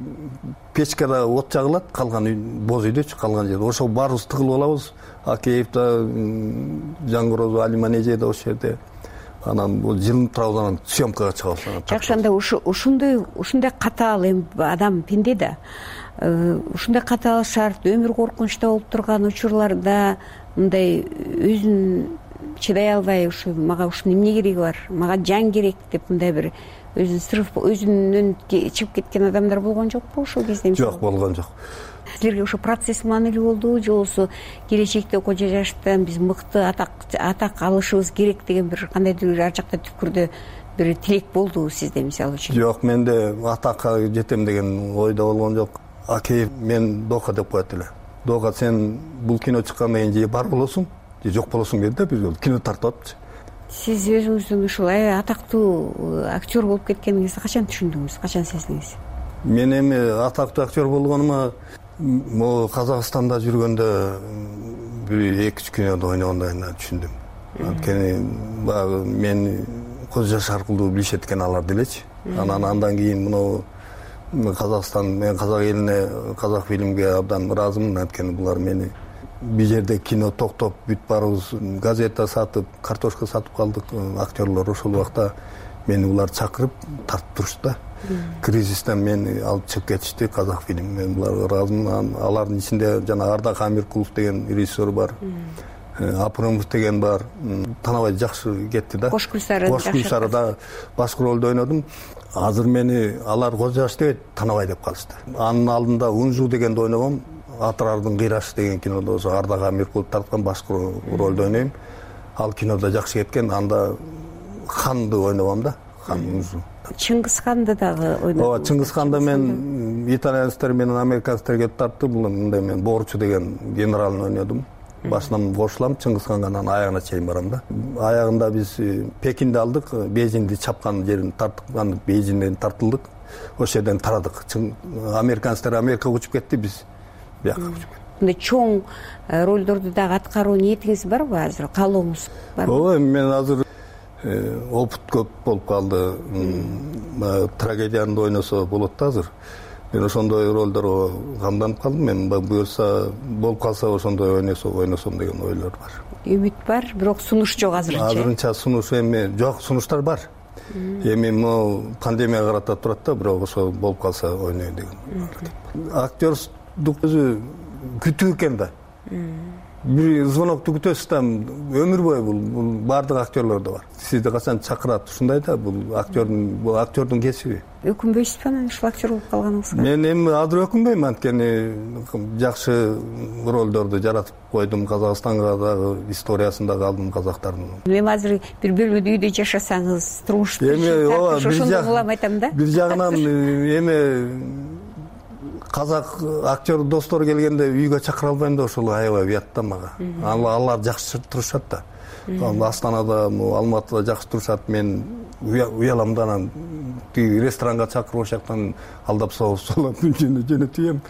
печкада от жагылат, калган үй боз үйдөчү, калган жерде. Ошо баарыбыз тыгылып алабыз. Акеев да, Жангорозо, Алима Неже да ошол жерде. Анан бул жылынып турабыз, анан съемкага чыгабыз. Жакшы, анда ушундай катаал эми адам пенде да. Ушундай катаал шарт, өмүр коркунучта болуп турган учурларда мындай өзүн чыдай албай, ушу мага ушунун эмне кереги бар, мага жан керек деп мындай бир өзүнөн чыгып кеткен адамдар болгон жокпу ошол кезде? Жок, болгон жок. Силерге ошо процесс маанилүү болдубу, же болбосо келечекте кожо жаштан биз мыкты атак алышыбыз керек деген бир кандайдыр ар жакта түпкүрдө бир тилек болдубу сизде, мисалы үчүн? Жок, менде атакка жетем деген ойдо болгон жок. Акеев мен Дока деп коет эле. Дока, сен бул кино чыккандан кийин же бар болосуң, же жок болосуң деди да, биз кино тартып атпчы. Сиз өзүңүздүн ушул атактуу актер болуп кеткениңизди качан түшүндүңүз, качан сездиңиз? Мен эми атактуу актер болгонума могу Казакстанда жүргөндө бир 2-3 кинодо ойногондон кийин түшүндүм. Анткени баягы мен көз жаш аркылуу билишет экен алар делечи. Анан андан кийин мына мен казак элине, казак фильмге абдан ыраазымын. Анткени булар мени бул жерде кино токтоп бүт барыбыз газета сатып, картошка сатып калдык. Актерлор ошол убакта мени булар чакырып тартып турушты да. Кризистен мени алып чыгып кетишти казак фильм. Мен буларга ыраазымын. Алардын ичинде жана Ардак Амиркулов деген режиссер бар. Апырымов деген бар. Танабай жакшы кетти да. Кош Гүлсарыда башкы ролду ойнодум. Азыр мени алар Кожоаш дебейт, Танабай деп калышты. Анын алдында Унжу дегенди ойногом. Атырардын кыйрашы деген кинодо ошо Ардак Амиркулов тарткан башкы ролду ойнойм. Ал кинодо жакшы кеткен. Анда ханды ойногом да. Хан Унжу. Чыңгыз ханды дагы ойнодум. Ооба, Чыңгыз ханды мен итальянецтер менен американецтер келип тартты. Мындай мен Борчу деген генералын ойнодум. Башынан кошулам, Чыңгыз ханга анан аягына чейин барам да. Аягында биз Пекинди алдык, Бейжиңди чапкан жерин тарткан, Бейжиңден тартылдык. Ошол жерден тарадык. Американецтер Америкага учуп кетти, биз бияка учуп кеттик. Мындай чоң ролдорду дагы аткаруу ниетиңиз барбы азыр? Каалооңуз барбы? Ооба, мен азыр опыт көп болуп калды. Трагедияны ойносо болот да азыр. Мен ошондой ролдорго камданып калдым. Мен буюрса болуп калса ошондой ойносом деген ойлор бар. Үмүт бар, бирок сунуш жок азырынча. Азырынча сунуш эми жок, сунуштар бар. Эми могу пандемияга карата турат да, бирок ошо болуп калса ойнойм деген. Актердук өзү күтүү экен да. Бир звонокту күтөсүз да, өмүр бою бул баардык актерлордо бар. Сизди качан чакырат, ушундай да, бул актердун кесиби. Өкүнбөйсүзбү анан ушул актер болуп калганыңызга? Мен эми азыр өкүнбөйм, анткени жакшы ролдорду жаратып койдум. Казакстанга дагы историясын дагы алдым казактардын. Эми азыр бир бөлмөдө үйдө жашасаңыз, турмуш ошондой улам айтам да. Бир жагынан эми казак актер достор келгенде үйгө чакыра албайм да, ошол аябай уят да мага. Алар жакшы турушат да. Астанада, Алматыда жакшы турушат. Мен уялам да, анан тиги ресторанга чакырып ошол жактан алдап салып жөнөтөйм.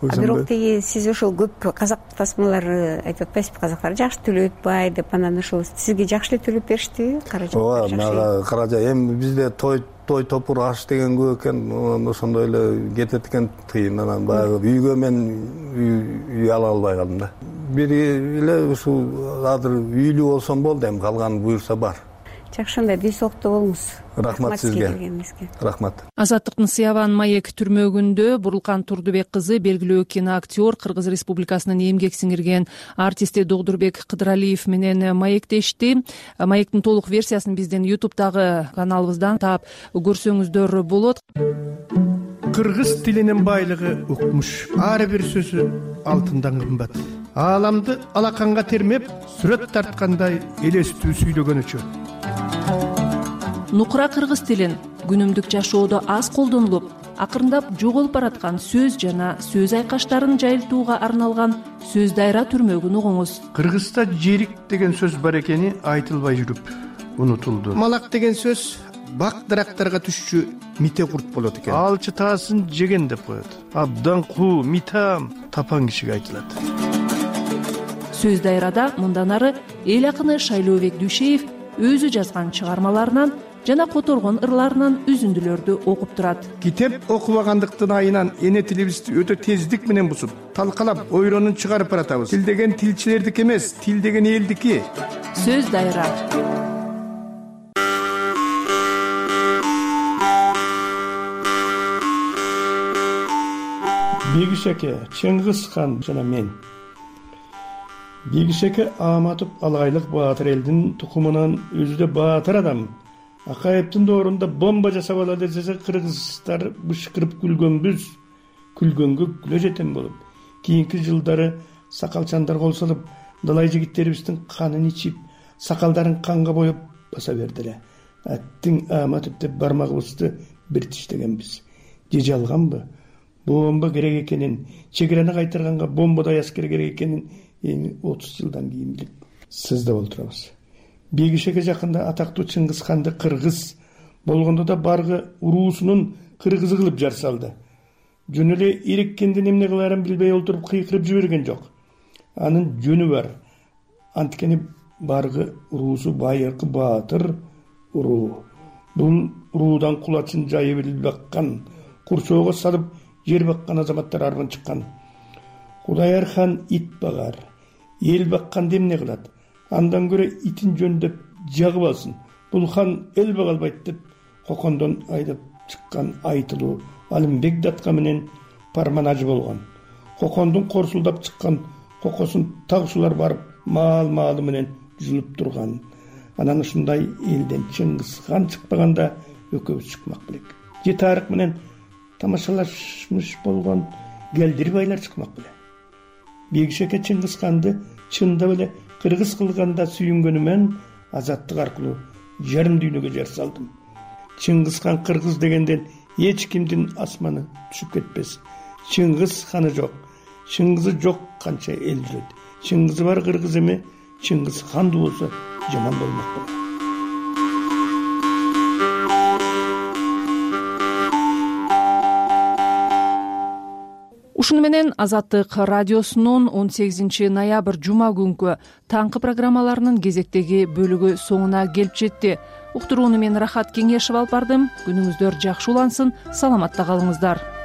Бирок тиги сиз ошол көп казак тасмалар айтып атпайсызбы, казактар жакшы төлөп атпайт деп, анан ошол сизге жакшы эле төлөп бериштиби? Ооба, мага каражат. Эми бизде той топур аш деген көп экен, ошондой эле кетет экен тыйын. Анан баягы үйгө мен үй ала албай калдым да. Бир эле ушул азыр үйлүү болсом болду, эми калган буюрса бар. Жакшы, анда дүй соолукта болуңуз. Рахмат сизге. Рахмат. Азаттыктын Сыябан маек түрмөгүндө Бурулкан Турдубек кызы белгилүү киноактер, Кыргыз Республикасынын эмгек сиңирген артисти Догдурбек Кыдыралиев менен маектешти. Маектин толук версиясын биздин YouTube'дагы каналыбыздан таап көрсөңүздөр болот. Кыргыз тилинин байлыгы укмуш. Ар бир сөзү алтындан кымбат. Ааламды алаканга термеп, сүрөт тарткандай элестүү сүйлөгөнүчө. Нукура кыргыз тилин күнүмдүк жашоодо аз колдонулуп, акырындап жоголуп бараткан сөз жана сөз айкаштарын жайылтууга арналган сөз дайра түрмөгүн угуңуз. Кыргызда жерик деген сөз бар экени айтылбай жүрүп унутулду. Малак деген сөз бак дарактарга түшчү мите курт болот экен. Алчы таасын жеген деп коет. Абдан куу, митам тапан кишиге айтылат. Сөз дайрада мындан ары эл акыны Шайлообек Дүйшеев өзү жазган чыгармаларынан жана которгон ырларынан үзүндүлөрдү окуп турат. Китеп окубагандыктын айынан эне тилибизди өтө тездик менен бузуп, талкалап, ойронун чыгарып баратабыз. Тил деген тилчилердики эмес, тил деген элдики. Сөз дайра. Бегишеке, Чыңгыз хан жана мен. Бегишеке Аматов Алгайлык баатыр элдин тукумунан өзү да баатыр адам. Акаевдин доорунда бомба жасап алат десе, кыргыздар бышкырып күлгөнбүз, күлгөнгө күлө жетем болуп. Кийинки жылдары сакалчандар кол салып, далай жигиттерибиздин канын ичип, сакалдарын канга боеп баса бердиле. Аттиң Аматов деп бармагыбызды бир тиштегенбиз. Же жалганбы? Бомба керек экенин, чегераны кайтарганга бомбадай аскер керек экенин эми 30 жылдан кийин билип сызда болтурабыз. Бегишеке жакында атактуу Чыңгыз ханды кыргыз болгондо да баргы уруусунун кыргызы кылып жар салды. Жөн эле иреккендин эмне кылаарын билбей олтуруп кыйкырып жиберген жок. Анын жөнү бар. Анткени баргы уруусу байыркы баатыр уруу. Бул уруудан кулачын жайып эле баккан курсоого салып жер баккан азаматтар арбын чыккан. Кудайар хан ит багар, эл бакканды эмне кылат? Андан көрө итин жөндөп жагып алсын. Бул хан эл бага албайт деп Кокондон айдап чыккан айтылуу Алымбек датка менен парманажы болгон. Кокондун корсулдап чыккан кокосун тагышуулар барып маал-маалы менен жулуп турган. Анан ушундай элден Чыңгыз хан чыкпаганда экөөбүз чыкмак белек. Же тарых менен тамашалашмыш болгон келдир байлар чыкмак беле. Бегишеке Чыңгыз ханды чындап эле кыргыз кылганда сүйүнгөнүмөн азаттык аркылуу жарым дүйнөгө жар салдым. Чыңгыз хан кыргыз дегенден эч кимдин асманы түшүп кетпес. Чыңгыз ханы жок, Чыңгызы жок канча эл жүрөт. Чыңгызы бар кыргыз эме, Чыңгыз ханды болсо жаман болмок болот. Ушуну менен Азаттык радиосунун 18 ноябрь жума күнкү таңкы программаларынын кезектеги бөлүгү соңуна келип жетти. Уктурууну мен Рахат Кеңешев алып бардым. Күнүңүздөр жакшы улансын, саламатта калыңыздар.